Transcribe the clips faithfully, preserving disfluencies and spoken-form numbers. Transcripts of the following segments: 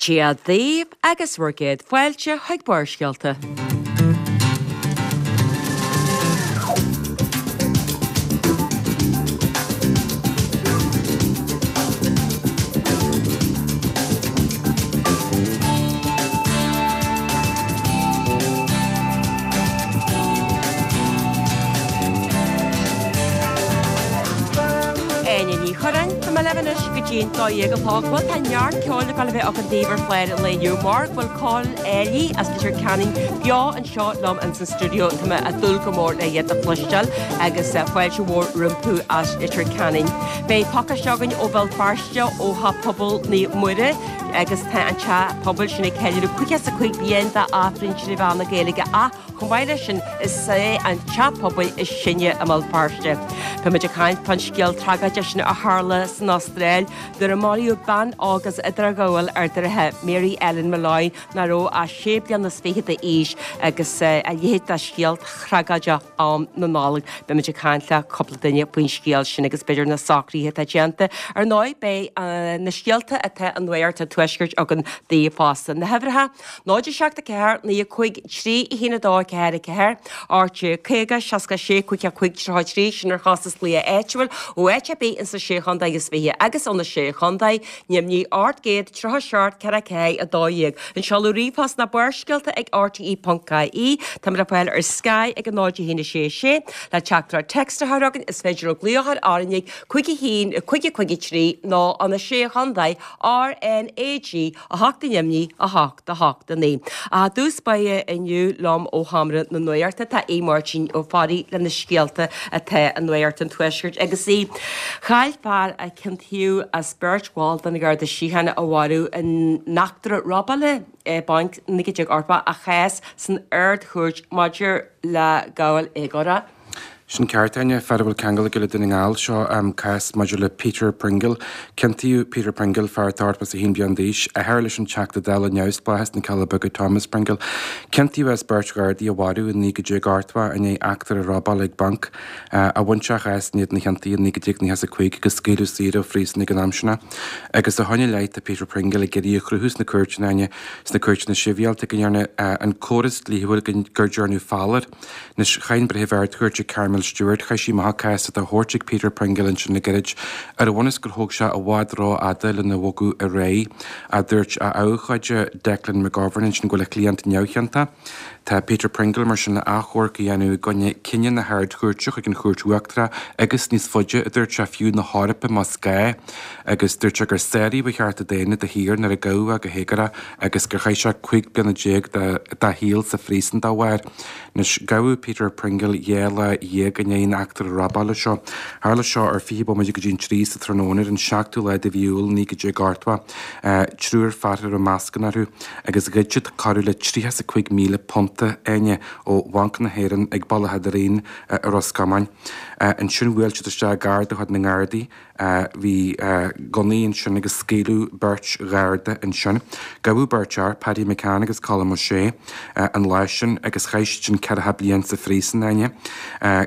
Dia daoibh agus bhur gcéad fáilte chuig Barrscéalta. Áine Ní Churráin, Tá mé libh anois go dtí an dó dhéag a chlog. Bhuel tá neart ceoil ag dul a bheith againn daoibh ar chlár an lae inniu mar go bhfuil Cóil Áilí as Leitir Ceanainn beo anseo liom ins an stiúideo. Tá mé ag dúil go mór le iad a chloisteáil agus fáilte mhór rompu as Leitir Ceanainn. Beidh pacáiste againn ó Bhéal Feirste ó Theach Pobail Naomh Muire agus tá an teach pobail sin ag ceiliúradh caoga is a cúig bliain d'Aifreann trí mheán na Gaeilge ach chomh maith leis sin is é an teach pobail is sine i mBéal Feirste. Tá muid ag caint fán scéal tragóideach sin a tharla san Astráil nuair a maraíodh bean óg as Idirghabháil Ard an Rátha, Mary Ellen Molloy, nach raibh ach sé bliana is fiche d'aois agus a leithéid de scéal tragóideach am na Nollag. Beidh muid ag caint le cúpla duine faoin scéal sin agus b'fhéidir na socruithe atá déanta. Ar ndóigh beidh na scéalta atá i Nuacht an Tuaiscirt againn daoibh fosta. Na huimhreacha, náid a seacht a ceathair, naoi a cúig, trí a haon a dó a ceathair a ceathair, RTÉ caoga, seasca sé, cúig a cúig, tríocha a trí, sin ar chostas glaoch áitiúil ó áit ar bith insa sé chontae is fiche agus ó na sé chontae, Nimhní ocht gcéad tríocha seacht ceithre ceathair a dó dhéag. An seoladh ríomhphost ná barrscéalta ag rte ponc ie. Táimid le fáil ar Sky ag a náid a haon a sé a sé. Le teachtaireacht text a chur chugainn is féidir glaoch ar RnaG cúig a haon cúig a cúig a trí nó an a sé chontae RnaG a hocht i nDoimní a hocht a hocht a naoi. I dtús báire inniu liom ó Sheomra na Nuachta tá Aodh Máirtín Ó Fearraigh le na scéalta atá i Nuacht an Tuaiscirt agus í. Chaill fear a ciontaíodh as beirt bhall den Gharda Síochána a mharú in eachtra robála bainc naoi déag ochtó a chás san Ard-Chúirt maidir le gabháil éagórach. Sin ceart, Áine, fear a bhfuil ceangal aige le Dún na nGall, seo cás maidir le Peter Pringle. Ciontaíodh Peter Pringle, fear atá ochtó is a haon bliain d'aois, athair leis an Teachta Dála neamhspleách as na Cealla Beaga Thomas Pringle. Ciontaíodh as beirt Ghardaí a mharú i naoi déag ochtó i ndiaidh eachtra robála ag banc. A bhain sé a chás in éadan a chiontaithe i naoi déag nócha is a cúig agus scaoileadh saor ó phríosún ag an am sin é. Agus ó shin i leith tá Peter Pringle ag iarraidh a chruthú sna cúirteanna, Áine, sna cúirteanna sibhialta go ndearna an córas dlíthiúil gur dearnadh fail air. Anois, chaith an Breitheamh Ard-Chúirte Carmel Stewart, chaith sí amach an cás atá á thabhairt ag Peter Pringle ansin le gairid, ar an bhunús gur thóg sé i bhfad rófhada lena bhogadh ar aghaidh. A dúirt a abhcóide Declan McGovern ansin go bhfuil a chliant neamhchiontach. Tá Peter Pringle mar sin le achomharc a dhéanamh i gcoinne cinneadh na hArd-Chúirte chuig an Chúirt Uachtarach agus níos faide, a dúirt sé, fiú na hEorpa más gá. Agus dúirt sé gur sáraíodh a chearta daonna de shíor nuair a gabhadh é go héagórach agus gur chaith sé cúig bliana déag dá shaol sa phríosún dá bharr. Anois, gabhadh Peter Pringle dhá lá dhéag i ndiaidh an eachtra robála seo. Tharla seo ar fiche bomaite go dtí an trí sa tráthnóna ar an seachtú lá de mhí Iúil naoi déag ochtó. Triúr fear a raibh mascanna orthu agus ghoid siad corradh le tríocha is a cúig míle punt, Áine, ó Bhanc na hÉireann ag Bealach Fhada Raoin i Ros Comáin. Ansin bhuail siad isteach i gcarr de chuid na nGardaí. Bhí gunnaí ansin agus scaoileadh beirt Gharda ansin. Gabhadh beirt fhear, Paddy McCann agus Colm O'Shea, an lá sin agus chaith siad sin ceathracha bliain sa phríosún, Áine.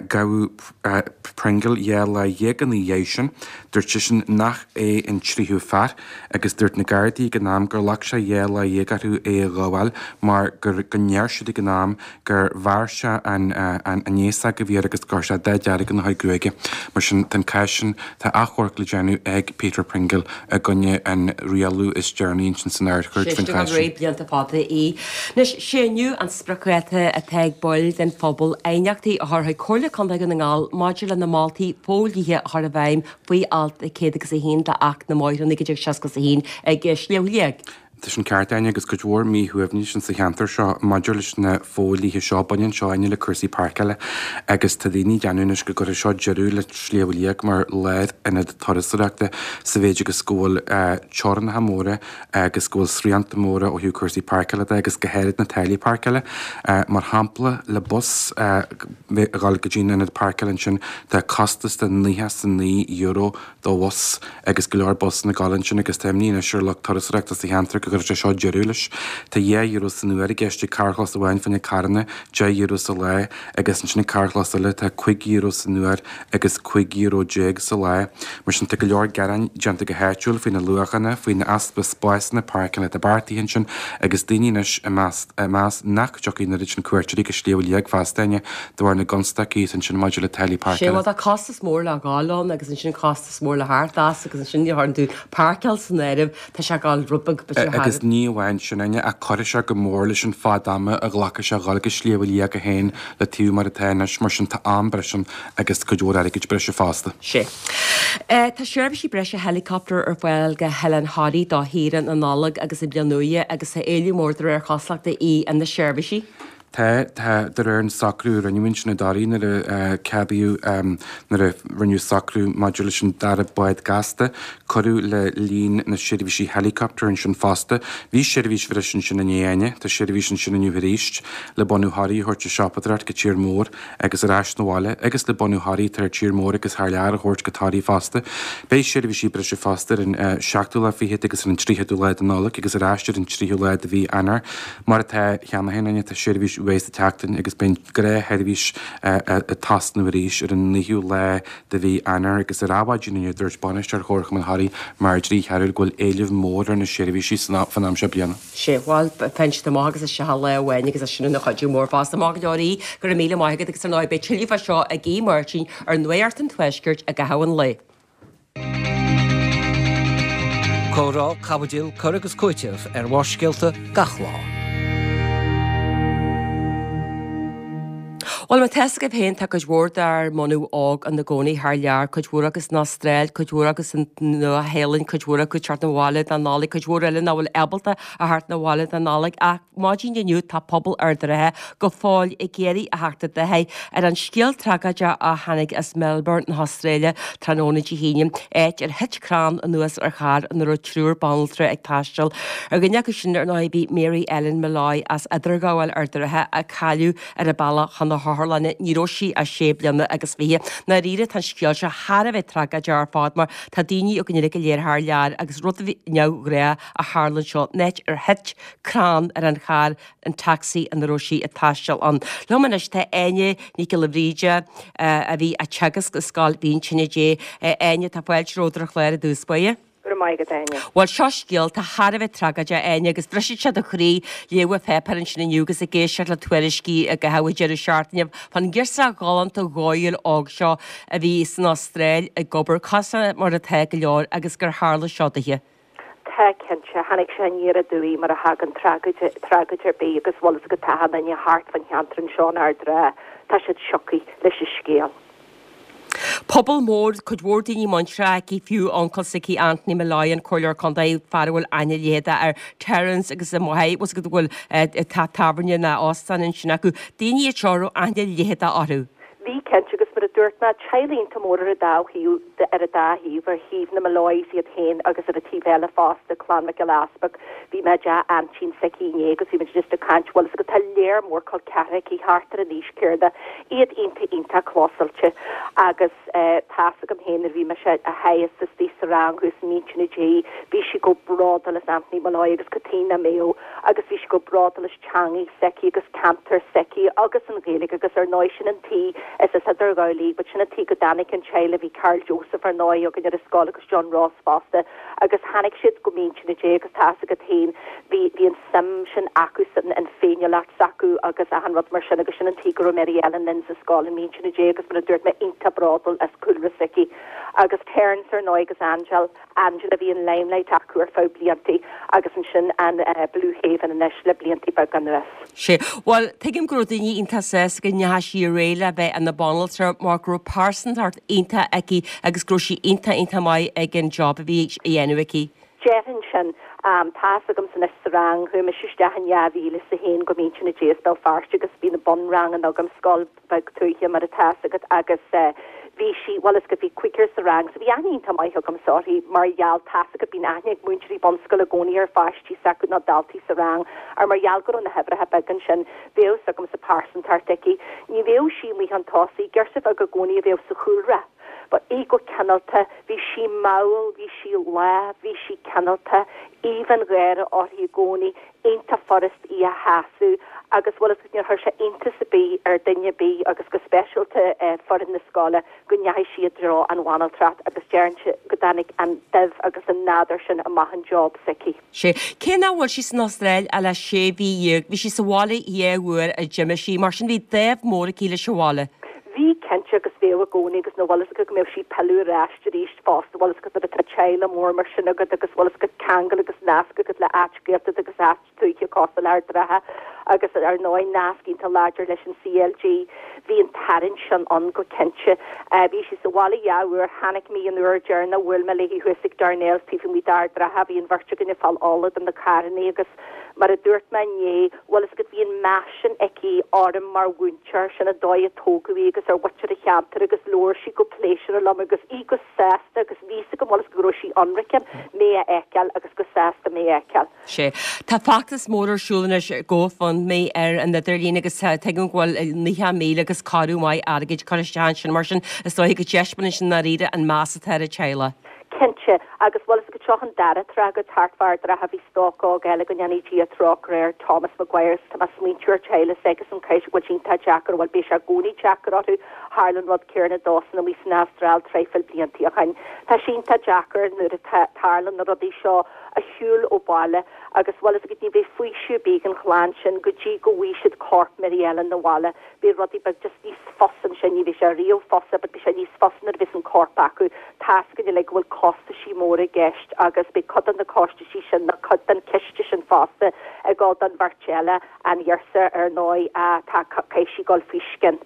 Gabhadh Pringle dhá lá dhéag ina dhiaidh sin. Dúirt seisean nach é an tríú fear agus dúirt na Gardaí ag an am gur ghlac sé dhá lá dhéag orthu é a ghabháil mar gur go ndeir siad ag an am gur bhearr sé an an fhéasóg a bhí air agus gur chuir sé dath dearg ina chuid gruaige. Mar sin, tá an cás sin, tá achomharc le déanamh ag Peter Pringle i gcoinne an rialú is deireanaí ansin san Ard-Chúirt faoin Sé chás sin sin. blianta fada í. Anois, sé inniu an spriocdháta atá ag baill den phobal aighneachtaí a chur chuig Comhairle Contae Dhún na nGall maidir le na moltaí fodhlíthe a chur i bhfeidhm faoi alt céad agus a haon d'Acht na mBóithre naoi déag seasca a haon ag Sliabh Liag. Tá sin ceart, Áine, agus cuid mhór míshuaimhnis insa cheantar seo maidir leis na fodhlíthe seo. Baineann seo, Áine, le cúrsaí páirceála agus tá daoine ag déanamh anois go gcuirfidh seo deireadh le Sliabh Liag mar lárionad turasóireachta sa mhéid agus go bhfuil teorainneacha móra agus go bhfuil srianta móra ó thaobh cúrsaí páirceála de agus go háirid na táillí páirceála. Mar shampla, le bus a dhul go dtí an ionad páirceála ansin tá costas de nócha is a naoi euro do bhus agus go leor busanna ag dul ansin agus tá imní anois ar lucht turasóireachta sa cheantar go go gcuirfidh sé seo deireadh leis. Tá dhá euro san uair i gceist ag carrchlós amháin fá choinne carranna, deich euro sa lá, agus ansin ag carrchlós eile tá cúig euro san uair agus cúig euro déag sa lá. Mar sin tá go leor gearáin déanta go háitiúil faoi na luachanna, faoin easpa spásanna páirceála atá beartaithe ansin agus daoine anois ag meas ag meas nach dtiocfaidh an oiread sin cuairteoirí go Sliabh Liag feasta de bharr na gconstaicí ansin maidir le táillí Sé páirceála. bhuel tá costas mór le gabháil ann agus ansin costas mór le theacht as agus ansin ní tharlann tú páirceáil san áireamh, tá sé ag gabháil rud beag b'fhéidir thar Agus ní amháin sin Áine, ach cuirfidh sé go mór leis an fad ama a ghlacfaidh sé a dhul go Sliabh Liag é féin le taobh mar atá anois, mar sin tá am breise ann agus cuid mhór airgid breise fosta. Sé. Tá seirbhísí breise helicopter ar fáil go hOileán Thoraí do shaoire na Nollag agus an Bhliain Nua agus tá éileamh mór de réir cosúlachta í ar na seirbhísí. Tá, tá, de réir an socrú a rinneadh ansin i dToraigh nuair a ceadaíodh, nuair a rinneadh socrú maidir leis an dara bád gasta, cuireadh le líon na seirbhísí helicopter ansin fosta. Bhí seirbhís bhreise ansin inné Áine, tá seirbhís ansin inniu arís le bunadh Thoraí a thabhairt ag siopadóireacht go tír mór agus ar ais 'na bhaile agus le bunadh Thoraí atá ar tír mór agus thar lear a thabhairt go Toraigh fosta. Beidh seirbhísí breise fosta ar an seachtú lá fichead agus ar an tríochadú lá de Nollaig agus ar ais ar an tríú lá de mhí Eanáir. Mar atá cheana féin Áine, tá seirbhís uaidh sa tseachtain agus beidh an ghnáthsheirbhís ag tosnú arís ar an naoú lá de mhí Eanáir agus ar Adhmhaidin inniu dúirt bainisteoir Chomharchumann Thoraí Marjorie Chearúil go bhfuil éileamh mór ar na seirbhísí san am seo bliana. Sé, bhuel, faigheann siad amach agus isteach lá amháin agus é sin ina chuidiú mór fosta. Maith go leor í, go raibh míle maith agat agus ar ndóigh beidh tuilleadh fá seo ag Aodh Máirtín ar Nuacht an Tuaiscirt i gcaitheamh an lae. Comhrá, caibidil, cur agus cúiteamh ar Bharrscéalta gach lá. Bhuel, má tá fhios agaibh féin, tá cuid mhór dár mbunadh óg ina gcónaí thar lear, cuid mhór acu san Astráil, cuid mhór acu san Nua-Shéalainn, cuid mhór acu ag teacht 'na bhaile don Nollaig, cuid mhór eile nach bhfuil ábalta a theacht 'na bhaile don Nollaig. Ach maidin inniu tá pobal Ard an Rátha go fóill ag iarraidh a theacht i dtaithí ar an scéal tragóideach a tháinig as Melbourne na hAstráile tráthnóna Dé hAoine, áit ar thit crann anuas ar charr ina raibh triúr banaltra ag taisteal. Ar dhuine acu sin, ar ndóigh, bhí Mary Ellen Molloy as Idirghabháil Ard an Rátha a cailleadh ar a bealach chun na hotharlainne. Ní raibh sí ach sé bliana agus fiche. Ndáiríre, tá an scéal seo thar a bheith tragóideach ar fad mar tá daoine againn uilig go léir thar lear agus rud neamhghnách a tharla anseo, an áit ar thit crann ar an charr, an taxi ina raibh sí ag taisteal ann. Liom anois tá Áine Nic Giolla Bhríde a bhí ag teagasc i Scoil Mhín Tine Dé. Áine, tá fáilte romhat ar an chlár i dtús báire. Go raibh maith agat, Áine. Bhuel, seo scéal atá thar a bheith tragóideach, Áine, agus briseann sé do chroí léamh an pháipéir ansin inniu agus ag éisteacht le tuairiscí i gcaitheamh an deireadh seachtaine fán ghirseach ghalánta dhóighiúil óg seo a bhí san Astráil ag obair, cosúil mar atá go leor, agus gur tharla seo dithe. Tá, cinnte. Tháinig sé aniar aduaidh mar a thagann tragóid, tragóid ar bith agus bhfuil fhios agat tá achan duine thart fán cheantar anseo in Ard an Rátha, tá siad sioctha leis an scéal. Pobal mór, cuid mhór daoine muinteartha aici, fiú uncail s'aici Anthony Molloy, an Comhairleoir Contae, fear a bhfuil aithne leitheadach ar Terence agus a mháthair, bhfuil fhios agat go bhfuil teach tábhairne ná óstán ansin acu. Daoine iad seo a raibh aithne leitheadach orthu. Bhí, cinnte, agus mar a dúirt mé, teaghlaigh iontach mór ar an dá thaobh, ar an dá thaobh, ar thaobh na Molloys iad féin agus ar an taobh eile fosta, Clann Mhic Giolla Easpaig. Bhí mé i dteach aintín s'aici inné agus bhí muid just ag caint, bhfuil fhios agat, tá léar mór col ceathracha aici thart ar an aois céarna, iad iontach iontach clósáilte agus eh tá's agam féin nuair a bhí mise á theagasc istigh sa rang thuas i Mín Tine Dé, bhí sí chomh bródúil as Anthony Molloy agus cad chuige nach mbeadh agus bhí sí chomh bródúil as teangaidh s'aici agus ceantar s'aici agus an Ghaeilge agus ar ndóigh sin an tuige is as Idirghabháil í but sin an tuige go dtáinig an teaghlach bhí Karl Joseph ar ndóigh againn ar an scoil agus John Ross fosta agus tháinig siad go Mín Tine Dé agus tá's agat féin bhí bhí an suim sin acu san an féiniúlacht s'acu agus achan rud mar sin agus sin an tuige go raibh Mary Ellen linn sa scoil i Mín Tine Dé agus mar a dúirt mé iontach bródúil as cúlra s'aici agus Terence ar ndóigh agus Angel Angela bhí an Limelight acu ar feadh bliantaí agus ansin an Blue Haven anois le bliantaí beaga anuas. Sea. Bhuel, tuigim go raibh daoine iontach sásta go ndeachaigh sí ar aghaidh le bheith ina banaltra mar go raibh pearsantacht iontach aici agus go raibh sí iontach iontach maith ag an job a bhí á dhéanamh aici. Déarfainn sin. Tá's agamsa anois sa rang, chuaigh mise isteach in dhá mhíle is a haon go Mín Tine Dé as Béal Feirste agus bhí na bunranganna agam, scoil bheag tuaithe mar atá fhios agat agus bhí sí, bhuel is go bhí cúigear sa rang so bhí aithne iontach maith agamsa uirthi mar gheall, tá's agat bíonn aithne ag múinteoirí bunscoile i gcónaí ar pháistí s'acu nó daltaí sa rang ar mar gheall go raibh na huimhreacha beag ansin bheadh fhios agamsa pearsantacht aici. Ní bheadh sí amuigh chun tosaigh, girseach bheag i gcónaí a bheadh sa chúlra. But í go cineálta, bhí sí mall, bhí sí lách, bhí sí cineálta, aoibh an gháire uirthi i gcónaí, iontach furast í a shásamh agus bhfuil fhios agat níor chuir sé iontas ar bith ar duine ar bith agus go speisialta foireann na scoile go ndeachaigh sí i dtreo an bhanaltracht agus deirimse go dtáinig an duibh agus an nádúr sin amach an job s'aici. Sé. Cé nach bhfuil sí san Astráil ach le sé mhí dhéag, bhí sí sa bhaile dhá uair a d'imigh sí, mar sin bhí dáimh mór aici leis an bhaile. Bhí cinnte agus bheadh i gcónaí agus bhfuil fhios agat go mbeadh sí ag pilleadh ar ais arís fosta bhfuil fhios agat nuair atá teaghlach mór mar sin agat agus bhfuil fhios agat ceangal agus nasc agat le áit Gaeltacht agus áit tuaithe cosúil le Ard an Rátha agus ar ndóigh nasc iontach láidir leis an CLG. Bhí an tarraingt sin ann go cinnte. Bhí sí sa bhaile dhá uair, chonaic mé an uair deireanach bhuail mé léi thuas ag Darnell's taobh amuigh d'Ard an Rátha, bhí an bheirt againn ag fáil ola do na carrannaí agus mar a dúirt mé inné, bhfuil fhios agat bhí an meas sin aici orm mar mhúinteoir, sin an dóigh a tógadh í agus ar mhuintir an cheantair agus labhair sí go pléisiúrtha liom agus í go sásta agus bhí fhios agam bhfuil fhios go raibh sí ionraice mé a fheiceáil agus go sásta mé a fheiceáil. Sé. Tá feachtas mór ar siúl anois GoFundMe ar an idirlíon agus tuigim go bhfuil naocha míle agus corradh maith airgid curtha isteach ansin mar sin is dóigh go dtaispeánann sin i ndáiríre an meas atá ar an teaghlach. Cinnte, agus bhfuil fhios agat seo an dara tráth go thart fá Ard an Rátha bhí stoc óg eile go ndéanfaidh Dia trócaire air, Thomas Maguire, tá mé ag smaointiú ar teaghlach agus an cás go bhfuil sé iontach deacair, bhuel beidh sé i gcónaí deacair orthu, tharla an rud céanna dósan amuigh san Astráil traidhfil blianta ó shin. Tá sé iontach deacair nuair atá tarlaíonn na rudaí seo a shiúl ó bhaile agus bhfuil fhios agat ní bheidh faoiseamh ar bith ag an chlann sin go dtí go bhfaighidh siad corp Mary Ellen 'na bhaile. Beidh rudaí beag just níos fusa ansin, ní bheidh sé riamh fusa but beidh sé níos fusa nuair a bheas an corp acu. Tá's againn uilig go bhfuil costaisí móra i gceist agus beidh cuid de na costaisí sin nó cuid den chiste sin fosta ag dul don bheirt eile, an ghiorsa ar ndóigh tá caithfidh sí dul faoi scian.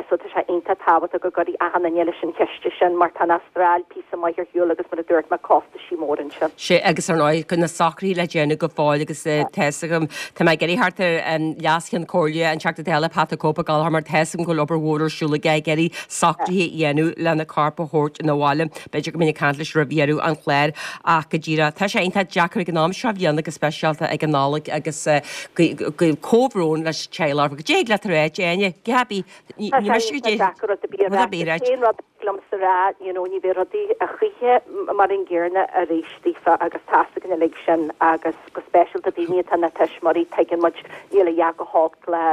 So tá sé iontach tábhachtach go gcuirfidh achan duine leis an chiste sin mar tá an Astráil píosa maith ar shiúl agus mar a dúirt mé costaisí móra ansin. Sé agus ar ndóigh go na socruithe le déanamh go fóill agus tá fhios agam tá mé ag iarraidh thart ar Leas-Cheann Comhairle an Teachta Dála Pat the Cope Gallagher mar tá fhios agam go bhfuil obair mhór ar siúl aige ag iarraidh socruithe a dhéanamh lena corp a thabhairt ina bhaile. B'fhéidir go mbeinn ag caint leis roimh dheireadh an chláir ach go díreach tá sé iontach deacair ag an am seo bhliana go speisialta ag an Nollaig agus comhbhrón leis an teaghlach. Go dtig leat a rá Áine, Gabi, ní mise go dtí rud liomsa a rá, you know, ní bheidh rudaí a choíche mar an gcéanna arís daofa agus tá fhios againn uilig sin agus go speisialta daoine atá ina tuismitheoirí tuigeann muid níl a dhath go holc le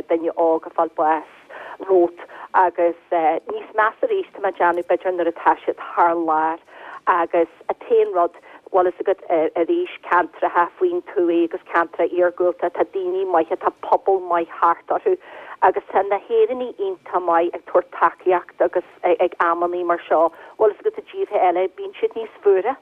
duine óg a fáil bás romhat agus níos measa arís tá mé ag déanamh b'fhéidir nuair atá siad thar lear agus an t-aon rud bhfuil fhios agat arís ceantracha faoin tuath agus ceantracha iargúlta tá daoine maithe tá pobal maith thart orthu agus tá na hÉireannaigh iontach maith ag tabhairt tacaíocht agus ag amannaí mar seo bhfuil fhios agat i dtíortha eile bíonn siad níos fuaire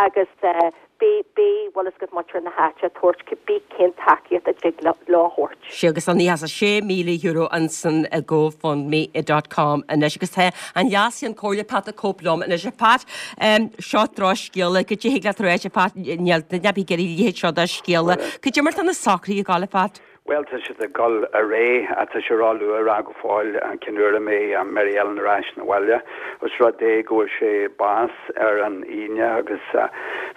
agus beidh beidh bhfuil fhios agat muintir na háite ag tabhairt cibé cén tacaíocht a dtig leo a thabhairt. Sé agus an oíche sé míle euro ansan i GoFundMe dot com anois agus tá an Leas-Cheann Comhairle Pat the Cope liom anois a Phat seo drochscéala go dtig leat a rá a Phat níl duine ar bith ag iarraidh a leithéid seo de scéala. Cad é mar tá na socruithe ag gabháil a Phat? Bhuel, tá siad ag dul ar aghaidh, tá sé ró-luath a rá go fóill cén uair a mbeidh Mary Ellen ar ais 'na bhaile. Os rud é go bhfuair sé bás ar an Aoine agus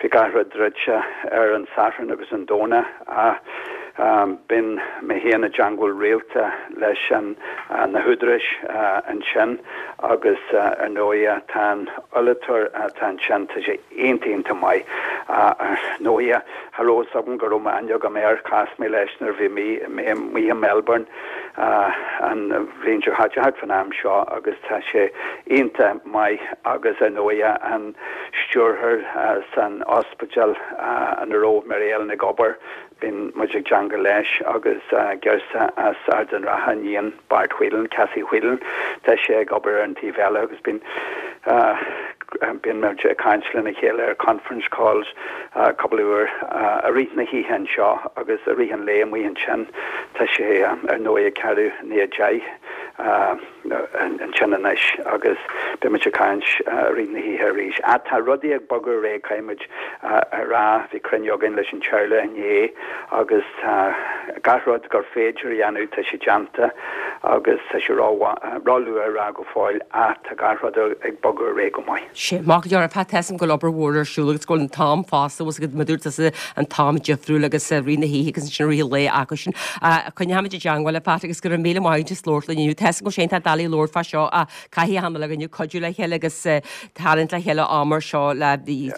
bhí gach rud druidte ar an Satharn agus an Domhnach ach bíonn mé féin i dteangmháil rialta leis an na húdaráis ansin agus ar ndóighe tá an fheileatúr atá ansin, tá sé iontach iontach maith. Ar ndóighe Cha raibh fhios agam go raibh aithne agam air, chas mé leis nuair a bhí mé amuigh i Melbourne an bhliain seo chaite thart fán am seo agus tá sé iontach maith agus ar ndóighe an stiúrthóir san ospidéal ina raibh Mary Ellen ag obair, bíonn muid ag teangmháil leis agus girseach as Ard an Rátha, iníon Bart Whelan, Cassie Whelan, tá sé ag obair ar an taobh eile agus bíonn bíonn muid ag caint lena chéile ar conference calls cúpla uair i rith na hoíche anseo agus i rith an lae amuigh ansin. Tá sé ar ndóigh ag ceathrú i ndiaidh a deich ansin anois agus beidh muid ag caint i rith na hoíche arís. Ach tá rudaí ag bogadh ar aghaidh, caithfidh muid a rá. Bhí cruinniú againn leis an teaghlach inné agus tá gach rud gur féidir a dhéanamh, tá sé déanta agus tá sé ró-luath a rá go fóill ach tá gach rud ag bogadh ar aghaidh go maith. Sea, maith go leor, Pat, tá a fhios agam go bhfuil obair mhór ar siúl agus go bhfuil an t-am fosta, bhfuil a fhios agat mar a dúirt tusa an t-am difriúil agus rith na hoíche agus ansin rith an lae acu sin. Coinneoimid i dteangmháil, a Pat, agus go raibh míle maith agat as labhairt linn inniu. Tá a fhios agam go bhfuil sé iontach doiligh labhairt fá seo ach caithfidh achan duine cuidiú le chéile agus tarraingt le chéile am mar seo le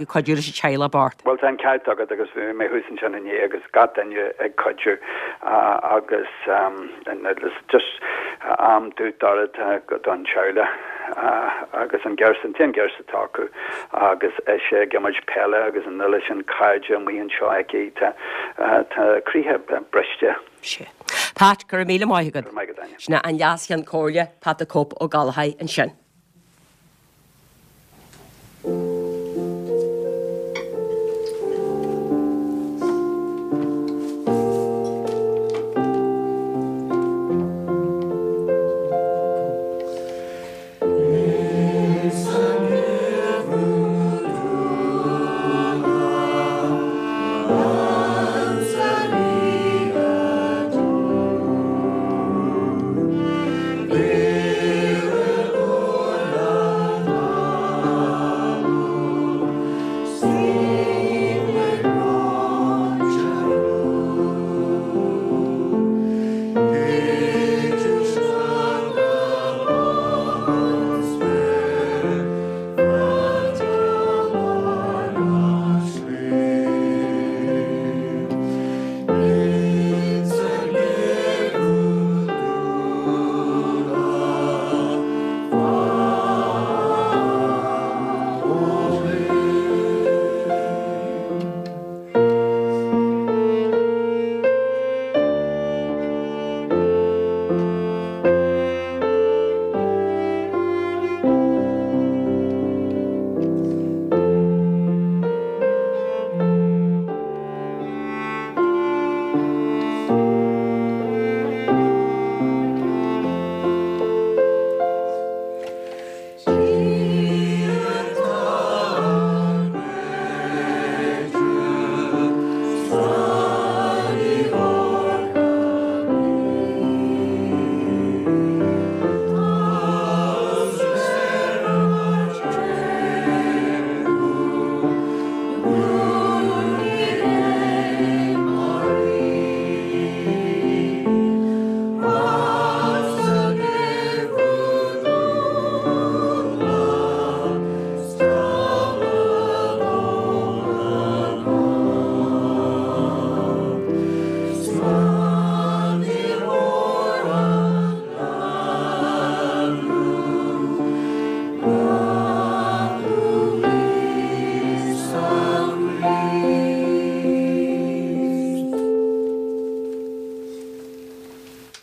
cuidiú leis an teaghlach bocht. Bhuel tá an ceart agat agus bhí mé thuas ansin inné agus gach duine ag cuidiú agus just am dubh dorcha don teaghlach agus an girseach, an t-aon girseach atá acu agus ise ag imirt peile agus an uile sin cairde amuigh anseo aici, tá tá croíthe briste. Sea. Pat, go raibh míle maith agat. Go raibh maith agat, Áine. Sin é an Leas-Cheann Comhairle, Pat the Cope Ó Gallchóir ansin.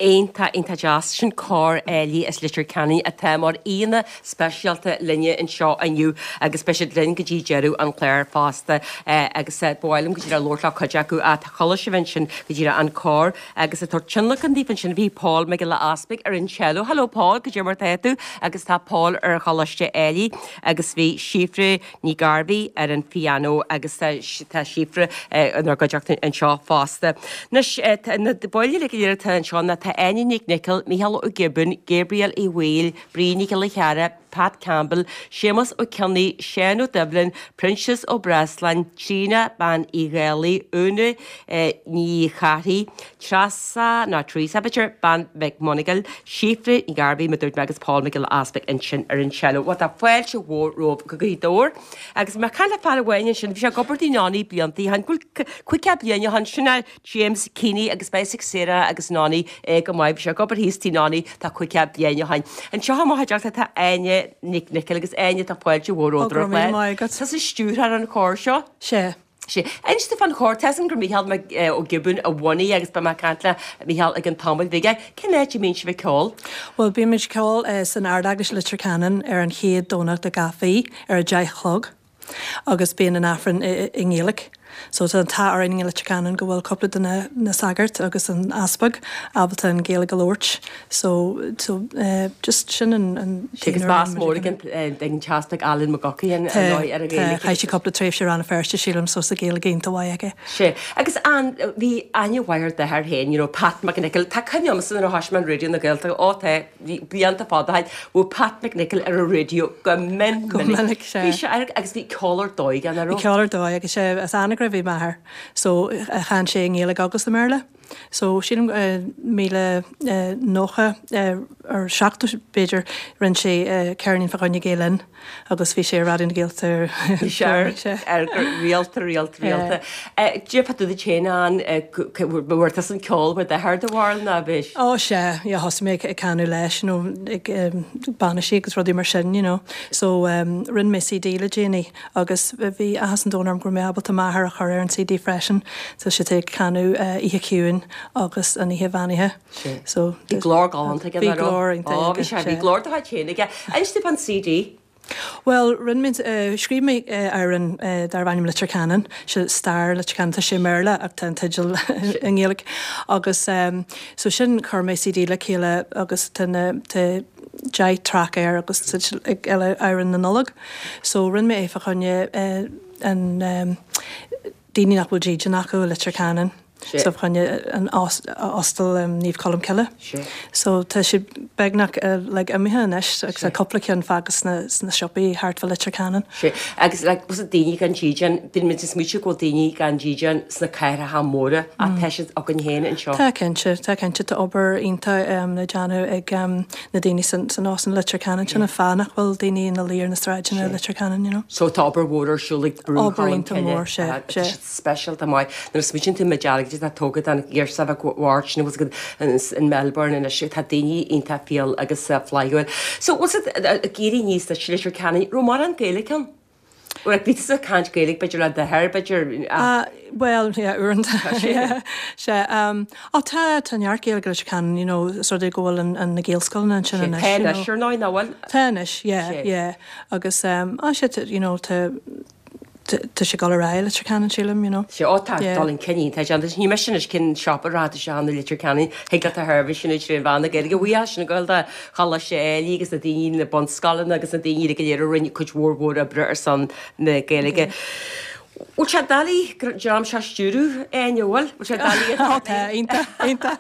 Iontach, iontach deas. Sin Cór Éilí as Leitir Ceanainn atá mar aíonna speisialta linne anseo inniu agus beidh siad linn go dtí deireadh an chláir fosta agus ba mhaith liom go díreach labhairt le cuid acu. Chuala sibh ansin go díreach an cór agus ag tabhairt tionlacan daoibh ansin bhí Paul Mac Giolla Easpaig ar an cello. Hello Paul, cad é mar tá tú? Agus tá Paul ar Choláiste Éilí agus bhí Síofra Ní Ghairbhí ar an phiano agus tá Síofra inár gcuideachta anseo fosta. Anois, na baill uilig go léir atá anseo ná tá Áine Nic Niocaill, Mícheál Ó Giobúin, Gabriel Uí Bhaoill, Bríd Nic Giolla Chearra, Pat Campbell, Séamus Ó Cionnaith, Seán Ó Doibhlin, Proinsias Ó Breasláin, Tríona Bean Uí Dhálaigh, Úna Ní Charthaigh, Treasa, nó Teresa b'fhéidir, Bean Mhic Monagail, Síofra Ní Ghairbhí, mar a dúirt mé agus Paul Mac Giolla Easpaig ansin ar an cello. Bhuel tá fáilte mhór romhaibh go Gaoth Dobhair. Agus mé ag caint le fear amháin ansin, bhí sé ag obair tigh Nonny blianta ó shin, bhuel caoga bliain ó shin, sin é James Keeney agus beidh a fhios ag Sarah agus Nonny é go maith, bhí sé ag obair thíos tigh Nonny tá caoga bliain ó shin. Anseo i mo chuideachta tá Áine Nic Niocaill agus Áine tá fáilte mhór romhat ar an chlár. Tá tusa stiúrthóir an chóir seo. Sea. Sea. Inis domh fán chór, tá a fhios agam gur Mícheál Mac Ó Giobúin a bhunaigh agus beidh mé ag caint le Mícheál i gcionn tamaill bhig. Cén áit a mbíonn sibh ag ceol? Bhuel, bímid ag ceol san Ard-Eaglais Leitir Ceanainn ar an chéad Domhnach de gach mhí ar a deich a chlog agus bíonn an Aifreann i nGaeilge. So tá an t-ádh orainn i Leitir Ceanainn go bhfuil cúpla de na, na sagairt agus an easpag ábalta an Ghaeilge a labhairt. So, so uh, just sin an, an Agus meas mór ag an ag an t-easpag Alan McGuckian ar an Ghaeilge. Chaith sé cúpla tréimhse i Rann na Feirste sílim so sa Ghaeilge iontach mhaith aige. Sé. Agus an bhí aithne mhaith ar d'athair féin, you know, Pat McNichol, tá cuimhne agamsa nuair a thosaigh mé an Raidió na Gaeltachta ó tá blianta fada ó shin, bhí Pat McNichol ar an raidió go min Go minic, sé. Bhí sé ar agus bhí ceol ar dóigh an Bhí ceol ar dóigh agus sé as Anagaire bhí m'athair. So chan sé i nGaeilge agus i mBéarla. So sílim míle nócha ar seachtó b'fhéidir rinne sé ceirnín fá choinne Gael Linn agus bhí sé ar Raidió na Gaeltachta ar rialta rialta rialta. Dé tú chéin an bhfuair an ceol mar d'athair do bharr ná bís? Ó sé, yeah, thosaigh mé ag canadh leis nó ag bainisí agus rudaí mar sin, you know. So um, rinne mé CD le déanaí agus bhí áthas an domhain orm go raibh mé ábalta m'athair a chur ar an CD freisin, so sé ag canadh uh, Oíche Chiúin agus an Oíche Bheannaithe. So Bhí glór galánta aige Bhí glór iontach aige, bhí glór do chéin aige. Inis fán CD? Well, rinne mé uh, scríobh mé uh, amhrán uh, darb ainm Leitir Ceanainn, sé stair Leitir Ceanainn tá sé i mBéarla ach tá an teideal i nGaeilge agus um, so sin chuir mé CD le chéile agus tá na tá deich traic air agus ag eile amhrán na Nollag. So rinne mé é fá choinne uh, an um, daoine nach bhfuil dídean acu Leitir Ceanainn. So fá choinne an óstal um, Naomh Colm Cille. So tá sé beagnach uh, like, imithe anois agus cúpla ceann fágtha sna, sna siopaí thart fá Leitir Ceanainn. Sé agus like, was daoine gan dídean, bíonn muid is smaoineamh go bhfuil daoine gan dídean sna cathracha móra a tá siad againn féin anseo. Tá cinnte, tá cinnte tá obair iontach um, le déanamh ag um, na daoine san, san óstán Leitir Ceanainn sin an fáth nach bhfuil daoine ina luí ar na sráideanna Leitir Ceanainn, you know. So tá obair mhór ar siúl ag Brú Obair iontach mór, sé, sé. Speisialta maith. Nuair a smaoiníonn tú me dearg tá tógtha an iarsa bhairt nó in Melbourne anois tá daoine iontach fial agus flaithiúil. So was it ag éirí aníos i Leitir Ceanainn raibh mórán Gaeilge ann? Well, bhí tú ag caint Gaeilge b'fhéidir le d'athair b'fhéidir Uh, well, yeah, uaireanta. yeah, sé, um, ó tá tá neart Gaeilge Leitir Ceanainn, you know, sort of go bhfuil an, an na Gaelscoileanna ansin anois. you know. Tá ar ná bhfuil? Tá anois, yeah, Sé. yeah. Agus um, á sé, you know, tá tá sé gal ará Leitir Ceanainn sílim, you know. Sé ó tá Yeah. dul chun cinn tá agus ní me sin is cin shop rá se an Leitir Ceanainn thuig le Herbie sin trí bhean na Gaeilge bhí sin go da chala sé eilí agus na daoine na bunscoileanna agus na daoine go léir a rinne cuid mhór mhór oibre ar son na Gaeilge. Bhfuil sé doiligh dream seo a stiúradh Áine bhfuil? Bhfuil sé doiligh Ó tá, iontach, iontach.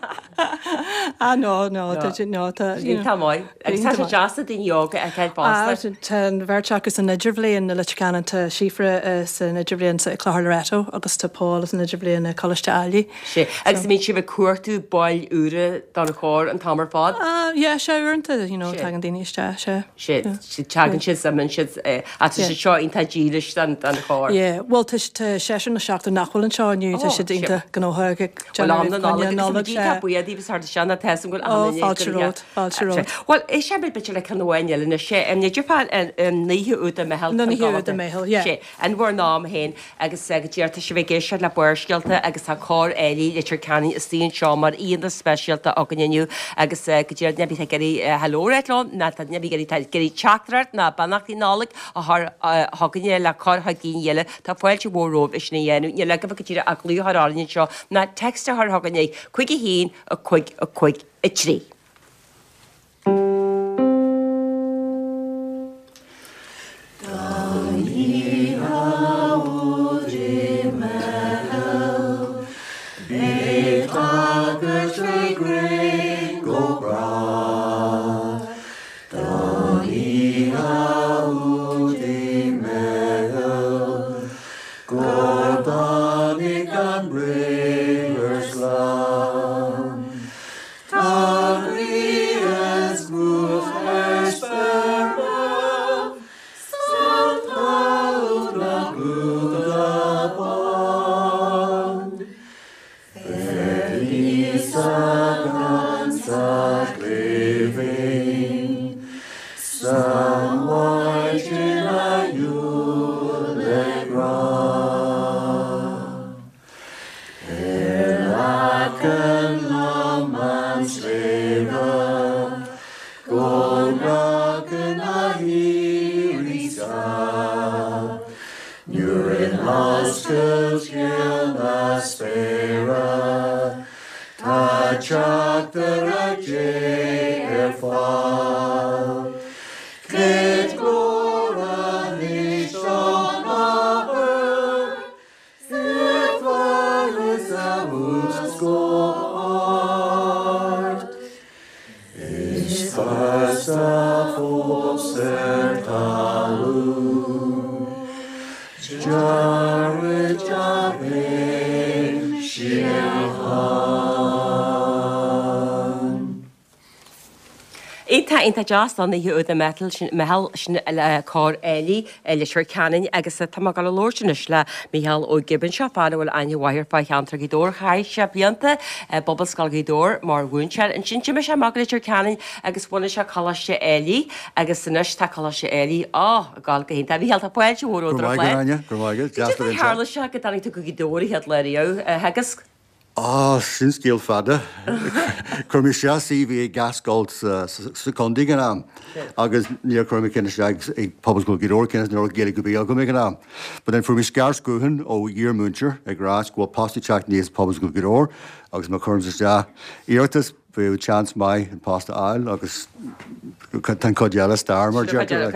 Ah, no, no, tá sé- no, tá, you know. Tá maith. Agus tá sé deas na daoine óga a fheiceáil Ah, fosta. Tá an bheirt acu san idirbhliain i Leitir Ceanainn tá Síofra san idirbhliain sa Clochar Loreto agus tá Paul san idirbhliain i Coláiste Ailigh. Sé agus mbíonn sibh ag cuartú baill úra don chór an t-am ar fad. Ah, yeah, sé uaireanta, you know, Sé. tagann daoine isteach, sé. Sé tagann siad sem siad a sé seo iontach dílis don don chór. Yeah, well tá tá seisear nó seachtar nach bhfuil anseo inniu, tá Oh, siad sé. iontach gnóthach ag Well am na déanamh Nollag sé. tá buíochas thar seanna te go Oh, fáilte romhat, fáilte romhat. Well é sé b'fhéidir le ceann amháin eile na sé an idir an naoithe úd a meitheal Na naoithe úd a meitheal, yeah. Sé an bhur nám féin agus go dearta si bheith géisteacht le Barrscéalta agus tá cór Éilí Leitir Ceanainn istigh anseo mar aíonna speisialta againn inniu agus go dtír nebí ag iarraidh hello leo ná tá nebí ag iarraidh teachtaireacht ná beannachtaí Nollag a chur chugainne le cur chuig daoine eile tá fáilte mhór romhaibh sin a dhéanamh ní le go dtí a glúthar áin seo ná text a chur chugainne cúig a haon a cúig a cúig a trí. Some Teachtaire Dé ar fad. Cuid glóir anois don Athair, sa bhflaitheas abhus go hard. Is fearsa fós ar talamh, Dearmhaid a bhéin síocháin. Iontach iontach deas don oíche úd meitheal sin meitheal sin le cór Éilí Leitir Ceanainn agus tá mé ag dul a labhairt anois le Mícheál Ó Giobáin seo fear a bhfuil aithne mhaith air fá cheantar Ghaoth Dobhair chaith sé blianta i bPobalscoil Ghaoth Dobhair mar mhúinteoir ansin d'imigh sé amach go Leitir Ceanainn agus bhunaigh sé Coláiste Éilí agus anois tá Coláiste Éilí á ag gabháil go hiontach. Mícheál tá fáilte mhór Go romhat maith go Áine, go maith go Cad é tharla sé go dtáinig tú go Gaoth Dobhair an chéad lá riamh a theagasc? Á sin scéal fada. Chuir mé isteach CV ag gach scoil sa sa chontae ag an am agus níor chuir mé ceann isteach ag Pobalscoil Ghaoth Dobhair cionn is ní raibh Gaeilge ar bith agam ag an am. But then fuair mé scairt gutháin ó iar-mhúinteoir ag rá go bhfuil post ag teacht aníos Pobalscoil Ghaoth Dobhair agus má chuirim isteach iarratas bheadh chance maith an post a fháil agus tá an chuid eile stair mar deirtear.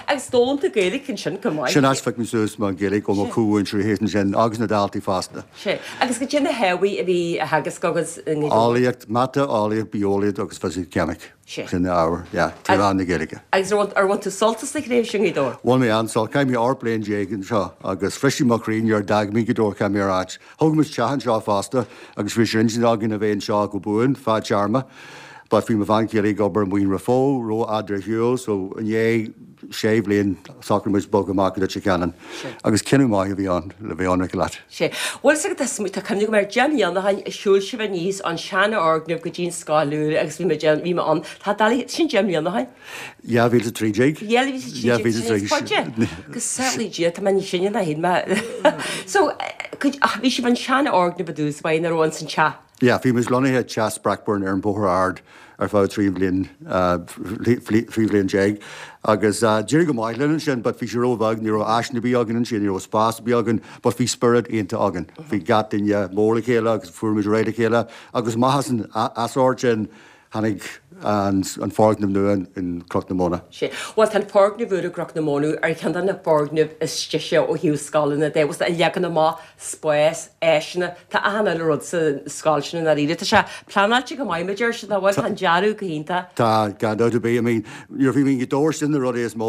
Agus d'fhoghlaim tú Gaeilge ansin go maith. Sin as phioc mé suas mo Ghaeilge ó mo chomh-mhúinteoirí thíos ansin agus na daltaí fosta. Sé agus cad é na hábhair a bhí á theagasc agus Eolaíocht, mata, eolaíocht, bitheolaíocht agus fisic ceimic. Sin na hábhair, yeah, trí mheán na Gaeilge. Agus ar bhain tú sult as do thréimhse i nGaoth Dobhair? Bhain mé an-sult, chaith mé ocht bliain déag anseo agus bhris sé mo chroí nuair a d'fhág mé Gaoth Dobhair chaith mé ar ais. Thóg muid teach anseo fosta agus bhí sé intinn againn a bheith anseo go buan fadtéarma. But bhí mo bhean chéile ag obair i Maoin Raphoe rófhada ar shiúl, so i ndiaidh sé bhliain shocraigh muid bogadh amach go Leitir Ceanainn. Agus cinneadh maith a bhí ann le bheith ionraic leat. Sé. Bhfuil a fhios agat tá cuimhne agam ar deich mbliana ó shin shiúil sibh aníos an seanfhoirgneamh go dtí an scoil úr agus bhí mé bhí mé ann. Tá doiligh sin deich mbliana ó shin. Dhá mhíle a trí déag. Dhá mhíle a trí déag. Fáilte. Go samhlaí Dia tá mé níos sine ná féin mé. So bhí sibh an seanfhoirgneamh i dtús báire ina raibh ins an teach. Yeah, bhí muid lonnaithe teach Sprackburn ar an Bóthar Ard ar feadh trí bhliain trí bhliain déag agus d'éirigh go maith linn ansin, but bhí sé róbheag, ní raibh áiseanna ar bith againn ansin, ní raibh spás ar bith againn, but bhí spiorad iontach againn. Bhí gach duine mór le chéile agus fuair muid réidh le chéile agus amach as an easóir sin tháinig an an foirgneamh nua in Cnoc na Móna. Sé. Bhuel tá an foirgneamh úr i gCnoc na Móna ar cheann de na foirgnimh is deise ó thaobh scoileanna de, bhfuil an leagan amach, spás, áiseanna, tá achan uile rud sa scoil sin i ndáiríre. Tá sé pleanáilte go maith, mar a deir siad, nach bhfuil? Tá an dearadh go hiontach. Tá, gan dabht ar bith. I mean, nuair a bhí mé i nGaoth Dobhair sin na rudaí is mó,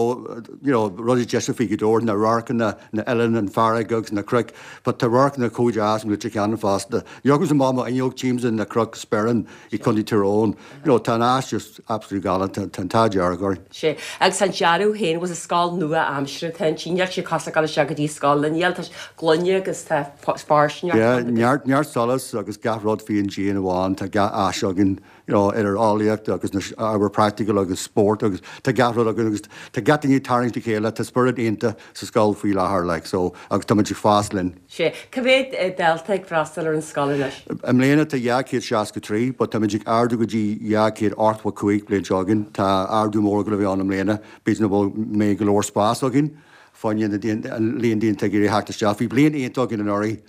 you know, rudaí deise faoi Ghaoth Dobhair, na radharcanna, na oileáin, an fharraige agus na cnoic, but tá radharcanna chomh deas i Leitir Ceanainn fosta. Dheocas amach mo fhuinneog tchímse na cnoic Sperrin i Contae Tyrone. You know, tá an áit just absolutely galánta, tá an t-ádh dearg orainn. Sé. Agus an dearadh féin was a scoil nua aimsire tá an níl sé cosúil le dul isteach go dtí scoil níl tá gloine agus tá fairsingeacht Yeah, ann agus. neart neart solas agus gach rud faoin díon amháin, tá gach áis againn, you know, idir eolaíocht agus na ábhair practical agus spórt agus tá gach rud againn agus tá gach duine ag tarraingt a chéile, tá spiorad iontach sa scoil faoi láthair like, so agus tá muid ag fás linn. Sé. Cá mhéad dalta ag freastal ar an scoil anois? I mbliana tá dhá chéad seasca trí, but tá muid ag ardú go dtí dhá chéad ochtó cúig bliain seo chugainn. Tá ardú mór go bheith ann i mbliana, b'fhéidir nach bhfuil mé go leor spás againn fá choinne an líon daoine ag iarraidh theacht isteach. Bhí bliain iontach againn anuraidh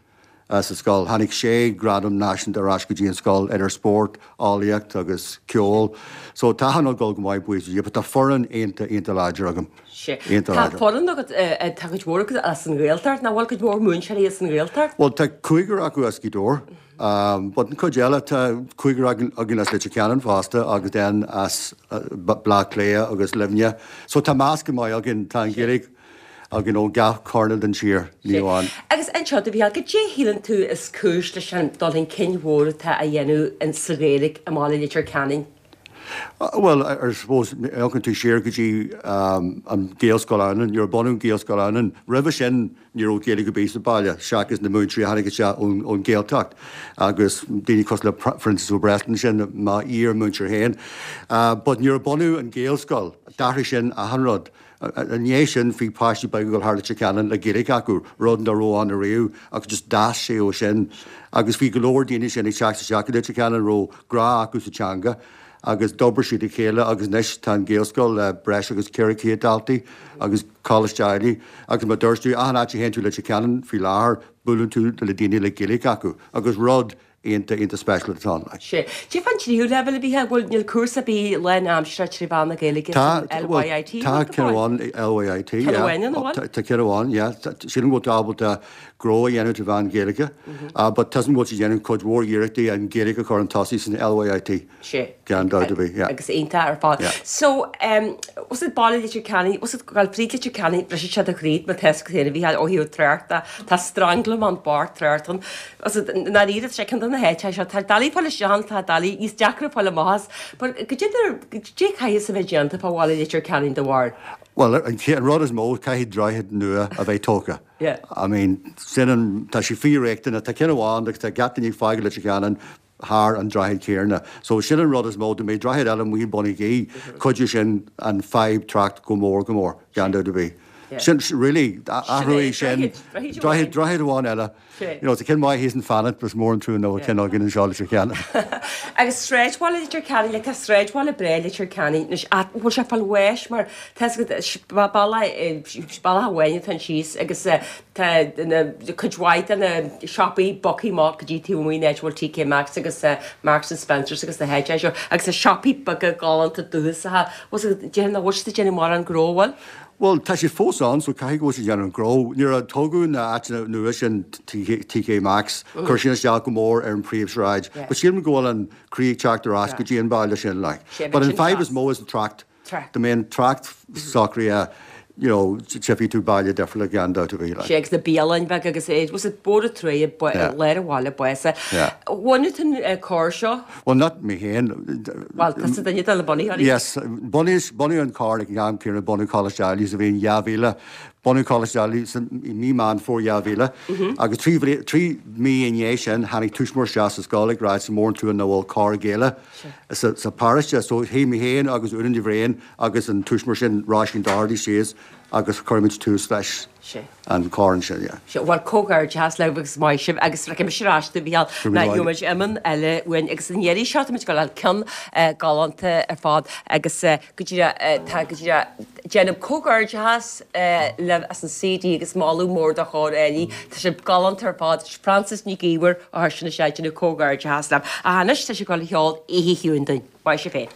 sa scoil. Tháinig sé gradam náisiúnta ar ais go dtí an scoil idir spórt, eolaíocht agus ceol. So tá an ag dul go maith buíochas le Dia, but tá foireann iontach iontach láidir agam. Sé. Iontach Tá láidir. foireann agat tá cuid mhór agat as an Ghaeltacht, nach bhfuil cuid mhór múinteoirí as an Ghaeltacht? Well tá cúigear acu as Gaoth Dobhair. Um, but an cuid eile tá cúigear againn againn as Leitir Ceanainn fosta agus then as uh, Bleá Cliath agus Luimneach. So tá meascán maith againn tá an Ghaeilge againn ó gach cearn den tír ní amháin. Agus anseo do bhí cad é shíleann tú is cúis leis an dul chun cinn mhór atá á dhéanamh in sa Ghaeilge i mbaile Leitir Ceanainn? Uh, well, I, I suppose amharcann tú siar go dtí um, an Gaelscoil Adhamhnáin, nuair a bunaíodh Gaelscoil Adhamhnáin, roimhe sin ní raibh Gaeilge ar bith sa baile, seachas na múinteoirí a tháinig isteach ón, ón Ghaeltacht agus daoine cosúil le Francis Ó Breslin sin m'iar-mhúinteoir féin. Uh, but nuair a bunaíodh an Gaelscoil, d'athraigh sin achan rud. I ndiaidh sin bhí páistí beaga ag dul thar Leitir Ceanainn le Gaeilge acu, rud nach raibh ann ariamh agus just d'fhás sé ó sin. Agus bhí go leor daoine sin ag teacht isteach go Leitir Ceanainn raibh grá acu sa teanga. agus d'oibrigh siad a chéile agus anois tá an Gaelscoil le breis agus ceithre chéad daltaí agus Coláiste Ailigh agus mar dúirt tú achan áit a théann tú Leitir Ceanainn faoi láthair buaileann tú le daoine le Gaeilge acu agus rud iontach iontach speisialta atá ann. Like. Sea. Cad é fán tríú leibhéal a Mhícheáil, bhfuil níl cúrsa ar bith lánaimseartha trí mheán na Gaeilge Tá, san bhuel, LYIT, tá bhfuil go ceann fóill? amháin, LYIT, Ceann yeah. amháin ann, an bhfuil? Tá tá ceann amháin, yeah. Tá- Sílim go bhfuil tú ábalta gnó a dhéanamh trí mheán Gaeilge, uh, but tá bhfuil siad déanamh cuid mhór iarrachtaí an Ghaeilge a chur chun tosaigh san LYIT. Sea. Gan dabht ar bith, yeah. Agus iontach ar fad. Yeah. So, um, was it baile Leitir Ceanainn, was it gal fríd Leitir Ceanainn, briseann sé do chroí má tá a fhios agat féin a Mhícheáil ó thaobh tráchta, tá stranglamán bocht trácht ann. Was it ndáiríre sé ceann de na háiteacha seo, tá doiligh fáil isteach ann, tá doiligh níos deacra fáil amach as, but goidé goidé caithfidh a bheith déanta fá bhaile Leitir Ceanainn do bharúil. Well, an an rud is mó caithfidh droichead nua a bheith tógtha. Yeah. I mean, sin an tá sé fíor-riachtanach, tá ceann amháin agus tá gach duine ag fágáil Leitir Ceanainn thar an droichead céanna. So sin an rud is mó dá mbeadh droichead eile amuigh i mBun Gaoith, cuideoidh sin an fadhb trácht go mór go mór gan dabht ar bith. Yeah. Sin really athrú sin droichead, droichead droichead droichead amháin eile. Sea. You know, tá ceann maith thíos in Fanad is mór an trua nach bhfuil ceann againn anseo Leitir Ceanainn. Agus sráidbhaile Leitir Ceanainn, like, tá sráidbhaile breá Leitir Ceanainn, anois, ach bhfuil sé fáil bháis mar tá a fhios agat, bealach bealach amháin atá síos agus eh, tá na cuid mhaith de na siopaí bogtha amach go dtí taobh amuigh an áit a bhfuil TK Maxx agus eh, Marks and Spencers agus na háiteacha seo agus na siopaí beaga galánta dúchasacha. Bhfuil déanamh nach bhfuil siad ag déanamh mórán gnó, bhfuil? Well, tá sé fós ann, so caithfidh go bhfuil siad déanamh gnó. Nuair a tógadh na áiteanna nua sin TK Maxx, chuir sin isteach go mór ar an príomhshráid. Yeah. But sílim go bhfuil an croí ag teacht ar ais Yeah. go dtí an baile sin like. Sé, But bheadh an sin fadhb is class. mó is an trácht. Trácht. Dá mbeadh an trácht socraithe, you know, tchífidh tú baile difriúil gan dabht ar bith like. Sé agus na bialanna beaga agus é was it Bóthar Tráighe Yeah. lár an bhaile bása. Yeah. Bhunaigh tú an cór seo? Well, not mé féin. Well, tá sa duine de na bunaitheoirí. Yes, bunaíodh bunaíodh an cór ag an am céanna bunú Coláiste Ailigh sa bhliain dhá mhíle. Bunú Coláiste Ailigh san i mí Meán Fómhair dhá mhíle. Agus trí bhli- trí mí i ndiaidh sin tháinig tuismitheoir isteach sa scoil ag rá is mór an trua nach bhfuil cór Gaelach sa sa pharóiste, so shuigh mé féin agus Úna Ní Bhriain agus an tuismitheoir sin Róisín Doherty síos agus chuir muid tús leis Sé. an cór ansin, yeah. Sé bhfuil comhghairdeas libh agus maith sibh agus rachaidh mise ar ais do Mhícheál Go ná raibh gheobhaimid iomann eile uainn agus an iarraidh seo táimid ag dul ceann eh, galánta ar fad agus eh, go díreach eh, tá go díreach déanaim comhghairdeas eh, libh as an CD agus moladh mór do chór Ailigh Tá sé galánta ar fad Frances Ní Ghaobhair a chuir sin sé déanamh comhghairdeas libh. A anois tá sé ag dul a cheol Oíche Chiúin dúinn. Maith sibh féin.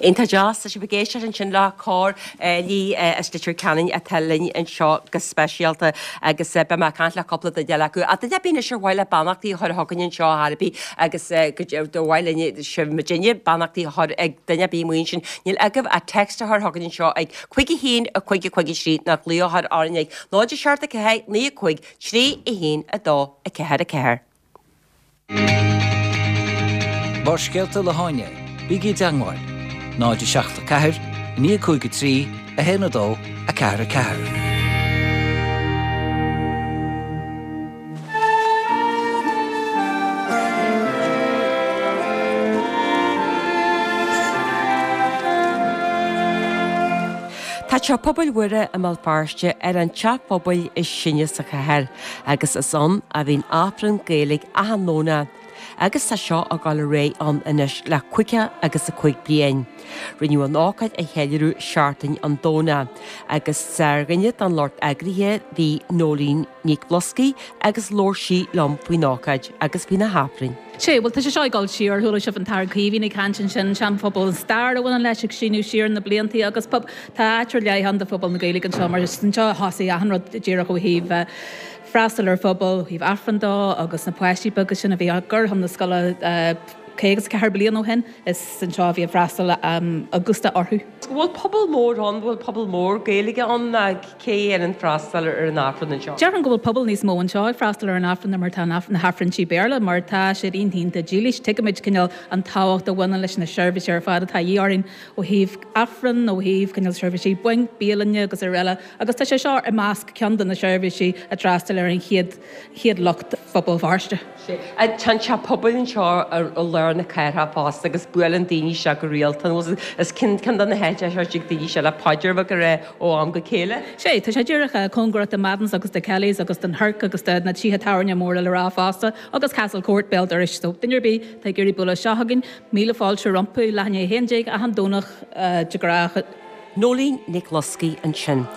Iontach deas tá sibh ag éisteacht ansin le Cór Áilí as Leitir Ceanainn atá linn anseo go speisialta agus beidh mé ag caint le cúpla duine eile acu. Ach duine ar bith anois ar mhaith le beannachtaí a chur chugainn anseo ar bith agus go mhaith linne sibh muidinne beannachtaí a chur ag duine ar bith amuigh ansin. Níl agaibh ach text a chur chugainn anseo ag cúig a haon a cúig a cúig a trí nó glaoch a chur orainn ag náid a seacht a ceathair naoi a cúig trí a haon a dó a ceathair a ceathair. Barrscéalta le hÁine, bígí i dteagmháil, náid a seacht a ceathair, naoi cúig a trí, a haon a dó, a ceathair a ceathair. Tá Teach Pobail Mhuire i mBéal Feirste ar an teach pobail is sine sa chathair, agus is ann a bhíonn Aifreann Gaeilge achan Domhnach, agus tá seo ag dul ar aghaidh ann anois le caoga agus a cúig bliain. Rinneadh an ócáid a cheiliúradh seachtain an Domhnaigh, agus ar dhuine den lucht eagraithe bhí Nóirín Nic Bhloscaigh agus labhair sí liom faoin ócáid agus faoi na hAifrinn. Sé, bhuel tá sé seo ag dul siar, chuala sibh an tAthair Caoimhín ag caint ansin, seanphobal an stair a bhaineann leis ag síneadh siar na blianta agus pub tá áit ar leith ann do phobal na Gaeilge anseo mar is anseo a thosaigh achan rud díreach ó thaobh freastal ar phobal, ó thaobh Aifreann dó agus na páistí beaga sin a bhí á gcur chun na scoile caoga is a ceathair bliain ó shin, is anseo a bhí an freastal Augusta orthu. Bhfuil pobal mór ann, bhfuil pobal mór Gaeilge ann ná cé a dhéanann freastal ar an Aifreann anseo? Déarfainn go bhfuil pobal níos mó anseo ag freastal ar an Aifreann ná mar atá na hAifrinntí Béarla mar tá siad iontach dílis. Tuigimid cineál an tábhacht a bhaineann leis na seirbhísí ar fad atá a dhíth orainn ó thaobh Aifreann, ó thaobh cineál seirbhísí bainc, bialainne agus araile agus tá sé seo i measc ceann de na seirbhísí a d'fhreastail ar an chéad chéad lucht Phobal Feirste. Tá an teach pobail anseo i lár na cathrach fosta agus buaileann daoine isteach go rialta. Is ceann de na háiteacha a dtig daoine isteach le paidir bheag a rá ó am go chéile. Sé, tá sé díreach cóngarach do Madden's agus do Kelly's agus don Herc agus do na tithe tábhairne móra le rá fosta agus Castle Court béal dorais. So duine ar bith atá ag iarraidh bualadh isteach chugainn, míle fáilte rompu, leath i ndiaidh a haon déag achan Domhnach de ghnáth. Nóirín Nic Bhloscaigh ansin.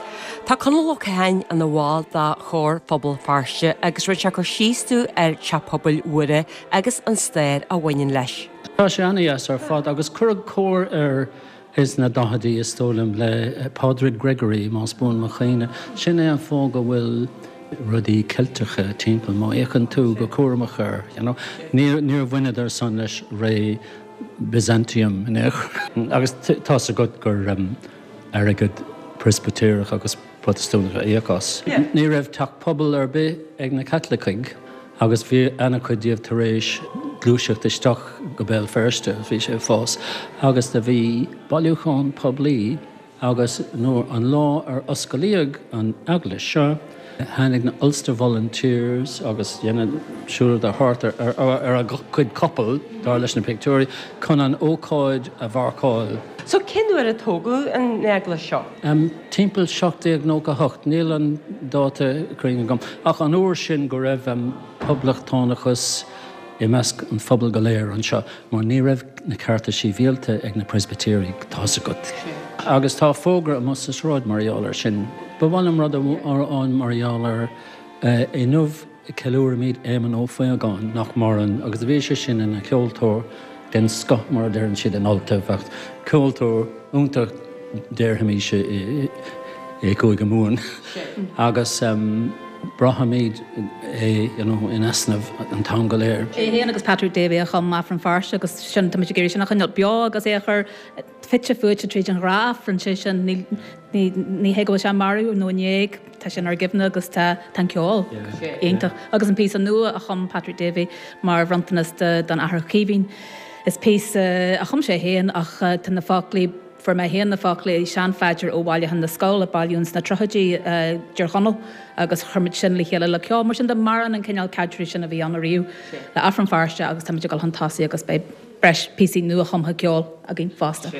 Tá Conall Ó Catháin ina bhall de Chór Phobal Feirste agus rinne sé cur síos dúinn ar Teach Pobail Mhuire agus an stair a bhaineann leis. Tá sé an-dheas ar fad agus cuireadh cór air ins na daichidí is dóigh liom le Pádraig Gregory más buan mo chuimhne. Sin é an fáth go bhfuil rudaí Ceilteacha timpeall má fhéachann tú go cúramach air, you know. Níor níor bhaineadar san leis ré Byzantium in aon chor. Agus tá's agat gur um, airgead Preispitéireach agus Protastúnach a íoc as. Ní raibh teach pobail ar bith ag na Caitlicigh agus bhí an-chuid díobh tar éis gluaiseacht isteach go Béal Feirste, bhí sé ag fás, agus do bhí bailiúchán poiblí agus nuair an lá ar osclaíodh an eaglais seo, tháinig na Ulster Volunteers agus dhéanadh siúlóid thart ar, ar, ar a gcuid capall dar leis na pictiúirí chun an ócáid a mharcáil. So cén uair a tógadh an eaglais seo? Um, timpeall seacht déag nócha hocht, níl an dáta cruinn agam, ach an uair sin go raibh um, poblachtánachas i measc an phobail go léir anseo, mar ní raibh na cearta sibhialta ag na Preispitéirigh, tá's agat. Agus tá fógra amuigh sa sráid mar gheall air sin. Ba mhaith liom rud amháin mar gheall air inniu ceiliúraimid Éamonn Ó Faogáin nach maireann agus bhí sé sin ina cheoltóir den scoth mar a deireann siad in Ultaibh ach ceoltóir iontach déarfaimis i i gCúige Mumhan agus braithimid é you know, in easnamh an t-am go léir. É féin agus Patrick Davey a chum Aifreann Feirste agus sin tá muid ag iarraidh sin a choinneáil beo agus é a chur fite fuaite tríd an ghnáth-Aifreann sé sin ní ní ní hé go bhfuil sé marbh nó in éag tá sé inár gcuimhne agus tá tá an ceol iontach agus an píosa nua a chum Patrick Davey mar bhronntanas don Athair Caoimhín. Is píosa a chum sé féin ach tá na foclaí fuair mé féin na foclaí seanphaidir ó Bhailiúchán na Scol a bailíodh sna tríochaidí i dTír Chonaill agus chuir muid sin le chéile le ceol mar sin de maireann an cineál caidrimh sin a bhí ann ariamh le Aifreann Feirste agus táimid ag dul chun tosaigh agus beidh breis píosaí nua-chumtha ceoil againn fosta.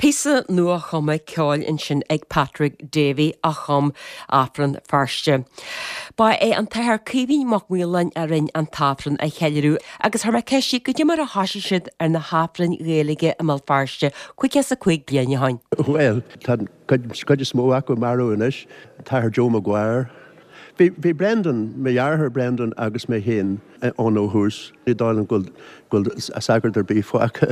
Píosa nuachumtha ceoil ansin ag Patrick Davey a chum Aifreann Feirste. Ba é an tAthair Caoimhín Mac Maoláin a rinne an t-aifreann a cheiliúradh agus chuir mé ceist air goidé mar a thoisigh siad ar na hAifrinn Ghaeilge i mBéal Feirste caoga is a cúig bliain ó shin. Bhuel, tá cuid is mó acu marbh anois, Athair Joe Maguire. Bhí bhí Brendan, mo dheartháir Brendan agus mé féin ann ó thús. Ní dóigh liom go bhfuil sagart ar bith fágtha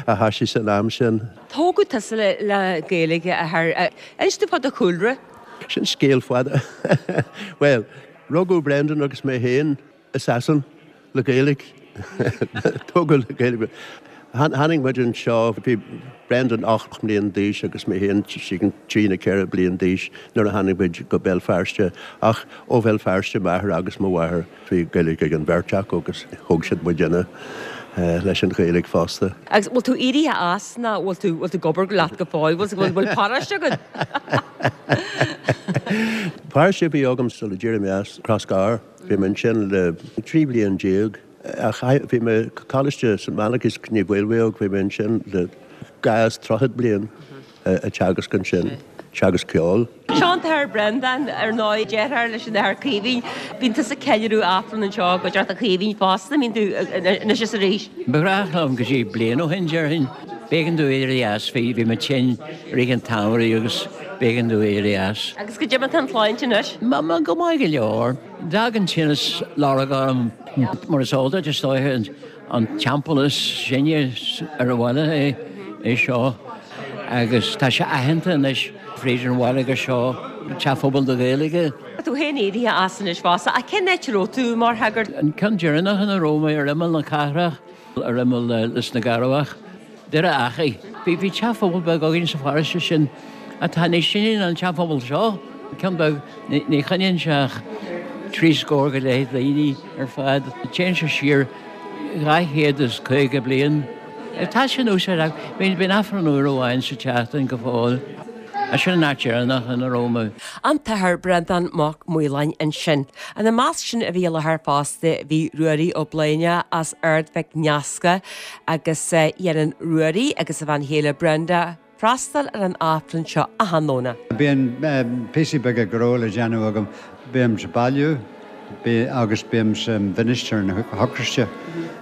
a thoisigh san am sin. Tógadh tusa le le Gaeilge a athair. Inis domh fá do chúlra. Sin scéal fada. Bhuel, rugadh Brendan agus mé féin i Sasain le Gaeilge. Tógadh le Gaeilge. Tháinig muid anseo, bhí Brendan ocht mbliain d'aois agus mé féin trí nó ceithre bliain d'aois nuair a tháinig muid go Béal Feirste ach ó Bhéal Feirste m'athair agus mo mháthair bhí Gaeilge ag an bheirt acu agus thóg siad muidinne leis an Ghaeilge fosta. Agus bhfuil tú éirithe as nó bhfuil tú bhfuil tú ag obair leat go fóill, bhfuil bhfuil paróiste agat? Paróiste a bhí agam sula d'éirigh mé as Crossgar, bhí mé ansin le trí bliain déag. Ach bhí mé Coláiste St Malachy's Naomh Maolmhaodhóg, bhí mé ansin le dhá is tríocha bliain ag teagasc ansin, teagasc ceoil. Seo an tAthair Breandán, ar ndóigh, deartháir leis an Athair Caoimhín. Bíonn tusa ag ceiliúradh Aifreann anseo i gcuideachta Chaoimhín fosta, mbíonn tú anois is arís? Ba ghnách liom go dtí bliain ó shin, déarfainn. B'éigean domh éirí as, bhí bhí mé tinn i rith an tsamhraidh agus b'éigean domh éirí as. Agus goidé mar tá an tsláinte anois? Go maith go leor. D'fhág an tinneas lorg orm. Mar is eol duit, is dóiche, an teampall is sine ar an bhaile é é seo agus tá sé aitheanta anois fríd an bhaile gur seo teach pobail na Gaeilge. Tá tú féin éirithe as anois fosta, ach cén áit a raibh tú mar shagart? An ceann deireanach ina raibh mé ar imeall na cathrach, ar imeall Lios na gCearrbhach. Doire Achaidh. Bhí bhí teach pobail beag againn sa pharóiste sin atá níos sine ná an teach pobail seo, ceann beag, ní choinníonn sé ach trí scór go leith daoine ar fad. Téann sé siar dhá chéad is caoga bliain. Tá sé in úsáid ach bíonn bíonn Aifreann uair amháin sa tseachtain go fóill. Sin an áit dheireanach ina raibh mé. An tAthair Breandán Mac Maoláin ansin. Ina measc sin a bhí i láthair fosta bhí Ruairí Ó Bléine as Ard Mhic Nasca agus dhéanann Ruairí agus a bhean chéile Brenda freastal ar an Aifreann seo achan Domhnach. Bíonn píosaí beaga gnó le déanamh agam. Bím sa bailiú agus bím sa mhinistir na hEocairiste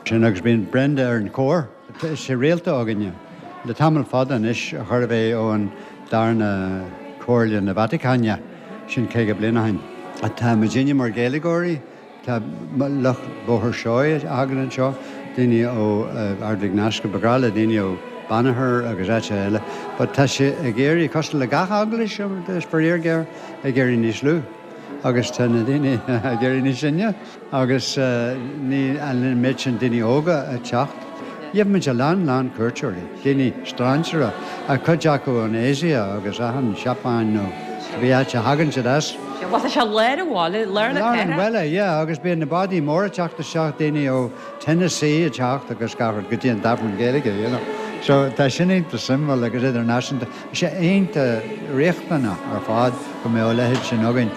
sin agus bíonn Brenda ar an chór. Tá sé rialta againne le tamall fada anois, chóir a bheith ó an darna Comhairle na Vatacáine, sin caoga bliain ó shin. Tá muidinne mar Ghaeilgeoirí, tá lucht Bhóthar Seoighe a thagann anseo, daoine ó Ard Mhic Nasca, ba ghnách le daoine ó Banagher agus áiteacha eile, but tá sé ag éirí, cosúil le gach eaglais, is faraor géar, ag éirí níos lú. Agus tá na daoine ag éirí níos sine agus níl an méid sin daoine óga ag teacht. Gheibh muid a lán lán cuairteoirí, daoine strainséara, cuid acu ón Asia agus achan Seapáin nó cibé áit a thagann siad as. Bhuel tá sé lár an bhaile, lár na cathrach. Lár an bhaile, yeah, agus bíonn na bádaí móra ag teacht isteach, daoine ó Tennessee ag teacht agus gach rud go dtí an tAifreann Gaeilge, you know. So tá sin iontach suimiúil agus idirnáisiúnta. Tá sé iontach riachtanach ar fad go mbeadh a leithéid sin againn.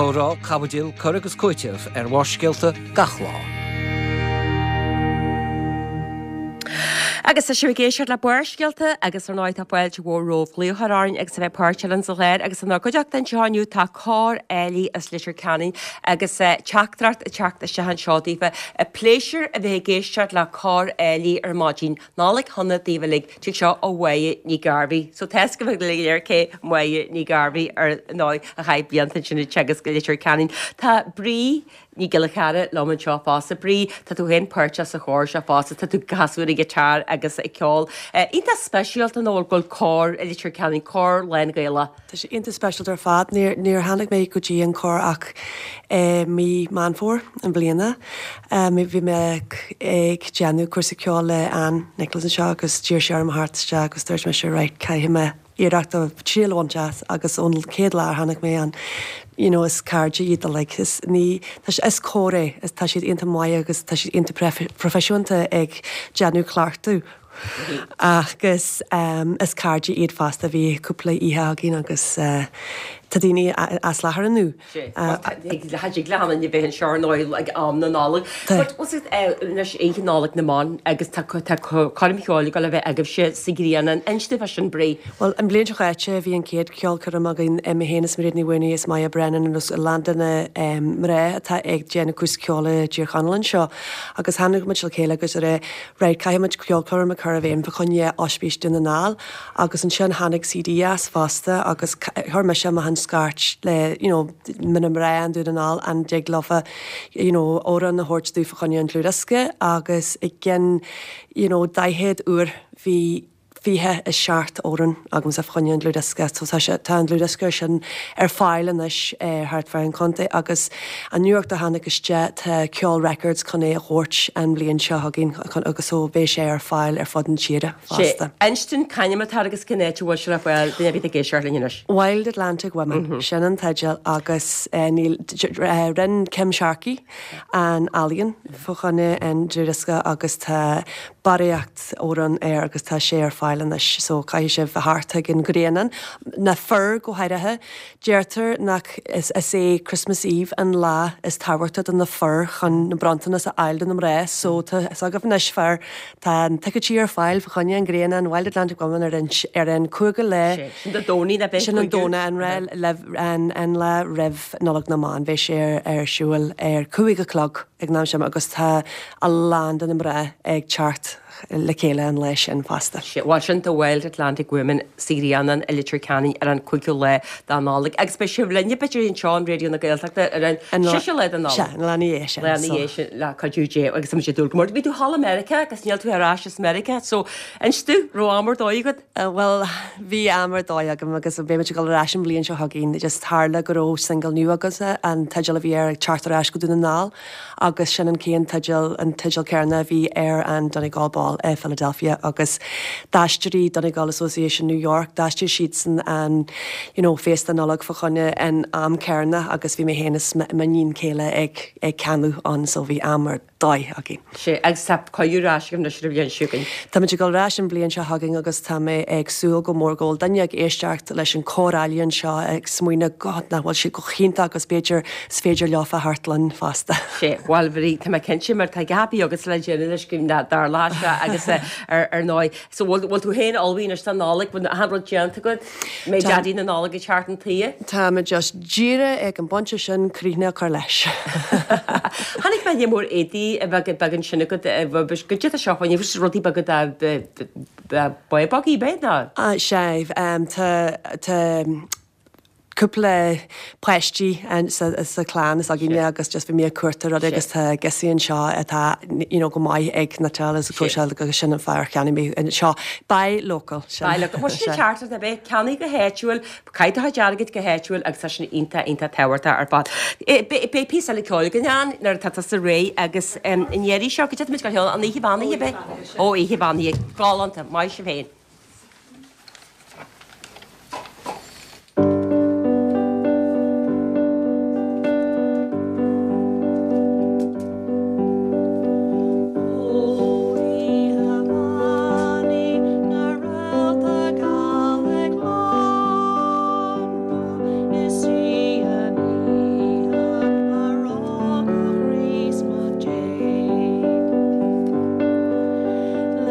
Comhrá, caibidil, cur agus cúiteamh ar Bharrscéalta gach lá. Agus tá sibh ag éisteacht le Barrscéalta agus ar ndóigh tá fáilte mhór romhaibh glaoch orainn agus a bheith páirteach linn sa chlár agus inár gcuideachta anseo inniu tá Cór Áilí as Leitir Ceanainn agus teachtaireacht ag teacht isteach anseo daofa. Pléisiúr a bheith ag éisteacht le Cór Áilí ar maidin. Nollaig shona daoibh uilig. Tig seo ó Mháire Ní Ghairbhí. So tá a fhios agaibh go léir cé Máire Ní Ghairbhí ar ndóigh a chaith blianta ansin ag teagasc i Leitir Ceanainn. Tá Brí Ní Ghiolla Cheara liom anseo fosta. Brí, tá tú féin páirteach sa chór seo fosta, tá tú ag casadh ar an ghiotár agus ag ceol. Iontach speisialta nó go bhfuil cór i Leitir Ceanainn, cór lán-Ghaelach. Tá sé iontach speisialta ar fad. Níor, níor tháinig mé go dtí an cór ach mí Meán Fómhair i mbliana. Bhí mé ag déanamh cúrsa ceoil le Ann Nicholas anseo agus d'iarr sí orm a theacht isteach agus dúirt mise right, caithfidh mé iarracht a triail a bhaint as agus ón chéad lá a tháinig mé ann you know is cairde iad like is ní tá is cór é is tá siad iontach maith agus tá siad iontach proifisiúnta ag déanamh cleachtadh agus um, is cairde iad fosta bhí cúpla oíche againn agus uh, tá daoine as láthair inniu. Tig le hana bheith anseo nó ag am na Nollag. But was it anois Oíche Nollag na mBan agus tá coirm cheoil ag dul a bheith agaibhse sa Ghrianán inis dúinn fá sin Brí. Well an bhliain seo caite bhí an chéad cheolchoirm againn mé féin is Mairéad Ní Mhaonaigh is Maya Brennan agus a lán de na mná atá ag déanamh cúrsa ceoil i dTír Chonaill anseo agus tháinig muid le chéile agus a rá right caithfidh muid ceolchoirm a chur i bhfeidhm fá choinne Ospís Dún na nGall agus ansin tháinig CD as fosta agus chuir mise mo scairt le you know, na mná i nDún na nGall an dtig leofa you know, amhrán a thabhairt dúinn fá choinne an dlúthdhiosca agus i gcionn you know, daichead uair bhí fiche a seacht amhrán agamsa fá choinne an dlúthdhiosca so tá sé tá an dlúthdhiosca sin ar fáil anois eh, thart fá an chontae agus an nuacht a tháinig isteach tá Ceol Records chun é a thabhairt an bhliain seo chugainn agus so beidh sé ar fáil ar fud an tíre fosta. Inis dúinn c'ainm atá agus cén áit a bhfuil sé le fáil duine a bhí ag éisteacht linn anois. Wild Atlantic Women mm -hmm. sin an teideal agus eh, níl eh, rinne Kim Sharkey an ealaín fá choinne an dlúthdhiosca agus tá barraíocht amhrán air agus tá sé ar fáil anois so caithfidh sibh a theacht ag an Ghrianán na fir go háirithe deirtear nach is, is é Christmas Eve an lá is tábhachtaí do na fir chun na bronntanas a fháil do na mná so tá agaibh anois fear tá an ticéidí ar fáil fá choinne an Ghrianán Wild Atlantic Women ar an ar an cúigiú lá Sin Dé Domhnaigh na sin an Domhnach an re an, an lá roimh Nollaig na mBan beidh sé ar, ar siúl ar cúig a chlog ag an am sin agus tá a lán de na mná ag teacht le chéile an lá sin fosta. Bhuel sin The Wild Atlantic Women sa Ghrianán i Leitir Ceanainn ar an cúigiú lá de Nollaig agus beidh sibh linne b'fhéidir anseo ar Raidió na Gaeltachta ar an séú lá de Nollaig. Sea, an lá ina dhiaidh sin. Lá ina dhiaidh sin le cuidiú Dé agus tá sé dúil go mór. Bhí tú thall i Meiriceá agus níl tú ar ais as Meiriceá, so inis dúinn raibh am ar dóigh agat? Bhuel bhí am ar dóigh agam agus beidh muid ag dul ar ais an bhliain seo chugainn just tharla go raibh single nua agamsa an teideal a bhí air ag teacht ar ais go Dún na nGall agus sin an chéad teideal an teideal céanna a bhí ar an Donegal Ball i Philadelphia agus d'aistrigh Donegal Association New York d'aistrigh siadsan an you know, féasta Nollag fá choinne an am céanna agus bhí mé féin is m'iníon céile ag ag canadh ann so bhí am ar dóigh againn. Sé agus tá coir ais go an bhliain seo chugainn. Tá muid ag dul ar ais an bhliain seo chugainn agus tá mé ag súil go mór go bhfuil duine ag éisteacht leis an cór álainn seo ag smaoineamh God nach bhfuil siad go hiontach agus b'fhéidir is féidir leofa theacht linn fosta. Sé bhuel bhí tá mé cinnte mar tá gapaí agus le déanamh leis go dar lá seo agus ar ar ndóigh. So bhfuil bhfuil tú féin ullmhaithe anois don Nollaig bhfuil an rud déanta agat mé Daidí na Nollag ag teacht an tuí. Tá mé just díreach ag an bpointe sin críoch a chur leis. Tháinig mé mór éadaí a bheith beag sin agat go dtí seo chuin rudaí beaga babaí bé ná? Sé tá cúpla páistí sa, sa clann is againne agus just bhí mé ag cuartú rud agus tá giosaí anseo atá you know, go maith ag cniotáil agus cróiseáil agus sin an fear cheannaigh mé anseo. Buy local. Buy local. Bhuel sin ceart a bheith ceannaigh go háitiúil, caith do chuid airgid go háitiúil agus tá sin iontach iontach tábhachtach ar fad. Beidh píosa eile ceoil againn ann nuair atá tusa réidh agus an iarraidh seo go dtí go an oíche bheannaithe be? Ó oíche bheannaithe galánta, maith sibh féin.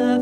Le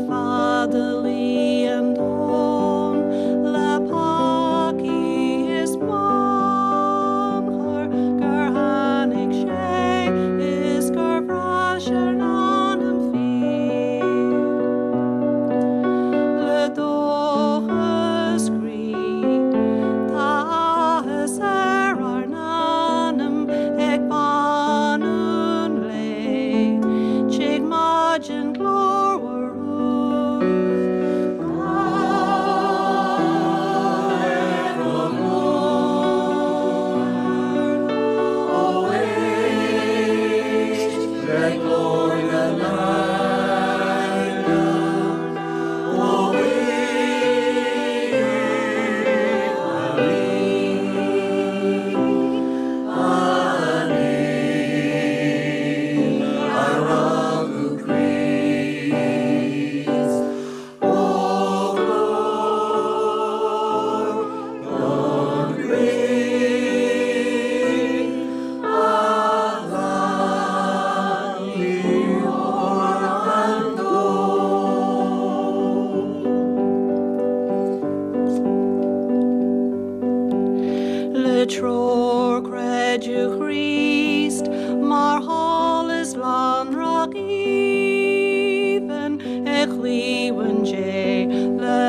aoibhinn i gcliabhán Dé le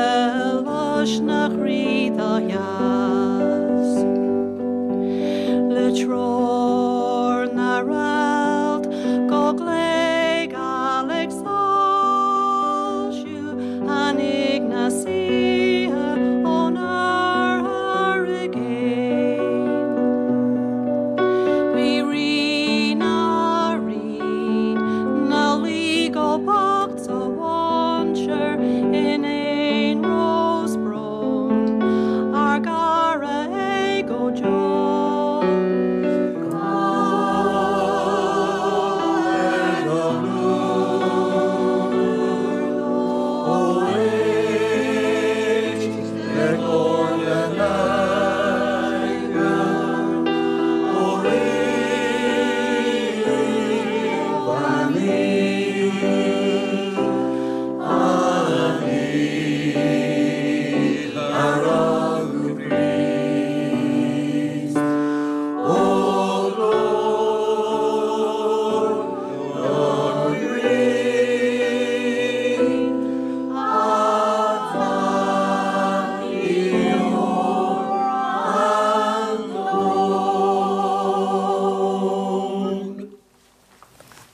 lais na chroí dá dheas. Le treoir na réalt go gléigeal ag soilsiú tháinig na saoithe ón oirthear i gcéin. Bhí rí na rí 'na luí go bocht sa mhainséar in aon rós brón ár gcara é go deo.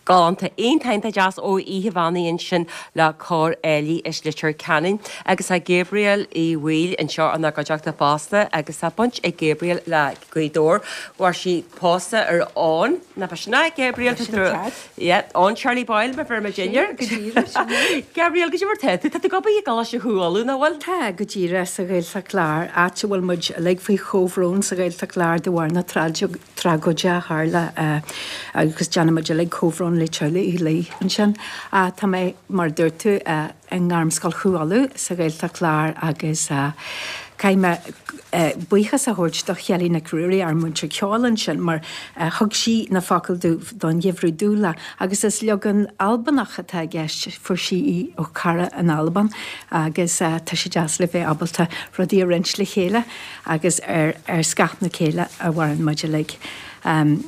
Galánta iontach deas ó Oíche Bheannaithe ansin le Cór Éilí is Leitir Ceanainn agus tá Gabriel Uí Bhaoill anseo inár gcuideachta fosta agus tá baint ag Gabriel le Gaoth Dobhair. Bhfuair sí pósta ar Eoin na sin Gabriel Eoin Charlie Boyle mar bhí dinner. Gabriel go mar tá tú go i gColáiste Chú Uladh nach bhfuil? Tá go díreach sa Ghaeltacht Láir áit a bhfuil muid uilig faoi chomhbhrón sa Ghaeltacht Láir de bharr na tragóide a tharla agus déanaimid uilig comhbhrón le teaghlaigh Uí Laoi ansin. Tá mé mar dúirt tú i nGairmscoil Chú Uladh sa Ghaeltacht Láir agus caithfidh mé buíochas a thabhairt do Shelley Nic Ruairí ár múinteoir ceoil ansin mar thug sí na focail don Gheimhreadh Dúla agus is leagan Albanach atá i gceist fuair sí í ó cara in Albain agus tá sé deas le bheith ábalta rudaí a roinnt le chéile agus ar ar scáth na céile a mhaireann muid uilig. Um,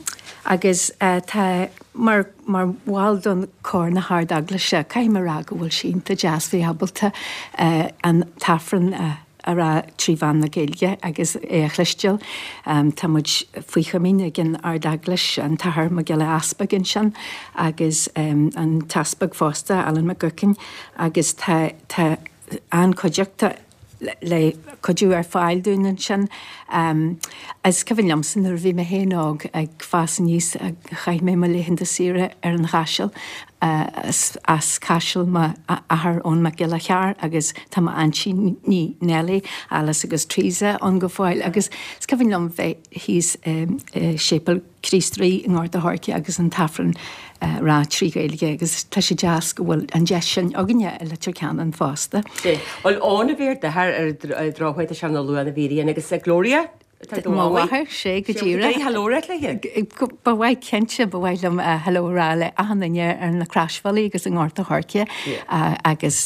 agus uh, tá mar mar bhall don cór na hArd-Eaglaise caithfidh mé rá go bhfuil sé iontach deas bheith ábalta uh, an t-aifreann uh, a rá trí mheán na Gaeilge agus é a chloisteáil. Um, tá muid faoi chomaoin ag an Ard-Eaglais an tAthair Mac Giolla Easpaig ansin agus um, an tEaspag fosta Alan McGuckin agus tá tá an-chuideachta le cuidiú ar fáil dúinn ansin. Um, is cuimhin liomsa nuair bhí mé féin óg ag fás aníos chaith mé mo laethanta saoire ar an Chaiseal uh, as, as Caiseal m'athair Eoin Mac Giolla Chearr agus tá m'aintíní Nelly, Alice agus Teresa ann go fóill agus is cuimhin liom bheith thíos um, uh, Séipéal Chríost Rí i nGort a' Choirce agus an t-aifreann uh, rá trí Ghaeilge agus tá sé deas go bhfuil an deis sin againne i Leitir Ceanainn fosta. Bhuel óna bhí d'athair ar drochuid sem na luana bhííon agus Gloria? Mo mháthair sé go díreach. Hello léi? Ba mhaith cinnte ba mhaith liom hello a rá le achan duine ar na Croisbhealaí agus i nGort a' Choirce agus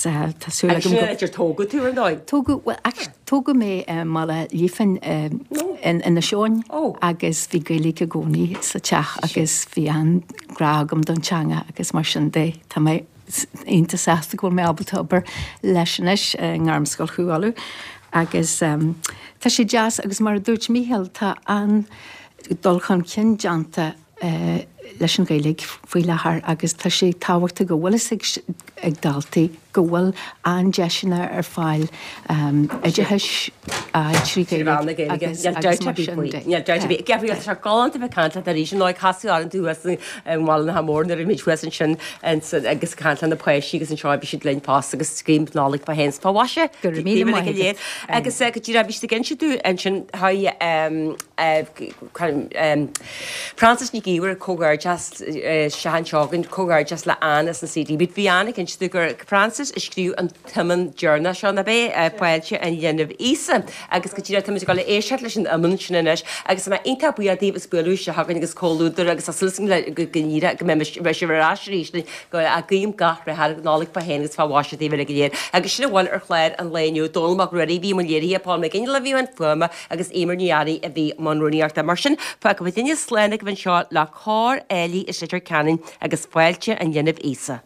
tá súil agam go idir tógadh tú ar ndóigh? Tógadh well tógadh mé Mala Lífin in Inis Eoghain agus bhí Gaeilge i gcónaí sa teach agus bhí an-ghrá agam don teanga agus mar sin de tá mé iontach sásta go bhfuil mé ábalta obair leis anois i nGairmscoil Chú Uladh. agus um, tá sé deas agus mar a dúirt Mícheál tá an dul chun cinn déanta uh, leis an Ghaeilge faoi láthair agus tá sé tábhachtach go bhfuil ag, ag daltaí go bhfuil an-deiseanna ar fáil um, oideachais trí Ghaeilge agus Gabriel tá galánta bheith caint leat arís nó casadh ar an tú an bhil na mór na mid thuas ansin agus caint na páistí agus anseo bhí siad linn fosta agus scream Nollaig fá shéan fá mhaise agus go dtí bhí tú inse tú ansin ha Francis Ní Íhar comhghairdeas sean seogan comhghairdeas le Anne as an CD. Bhí Anne ag inse gur Francis a scríobh an t-iomann deireanach seo na bé Fáilte an Linbh Íosa agus go dtí tá go le éisteacht leis an iomann sin anois agus mé iontach buíoch daoibh as bualadh isteach chugainn agus comhluadar agus a súil le go gníre go mbeidh sibh ar ais arís go a guím gach rath Nollaig fá shéan agus fá mhaise daoibh uilig go léir. Agus sin a bhfuil ar chlár an lae inniu Dónall Mac Ruairí bhí mo léirithe Paul McGinley a bhí an fuaime agus Éimear Ní Fhearraigh a bhí i mbun rúnaíochta mar sin fágfaidh duine slán agaibh anseo le cór Ceoltóir álainn as Leitir Ceanainn agus fáilte an linbh Íosa.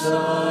Íosa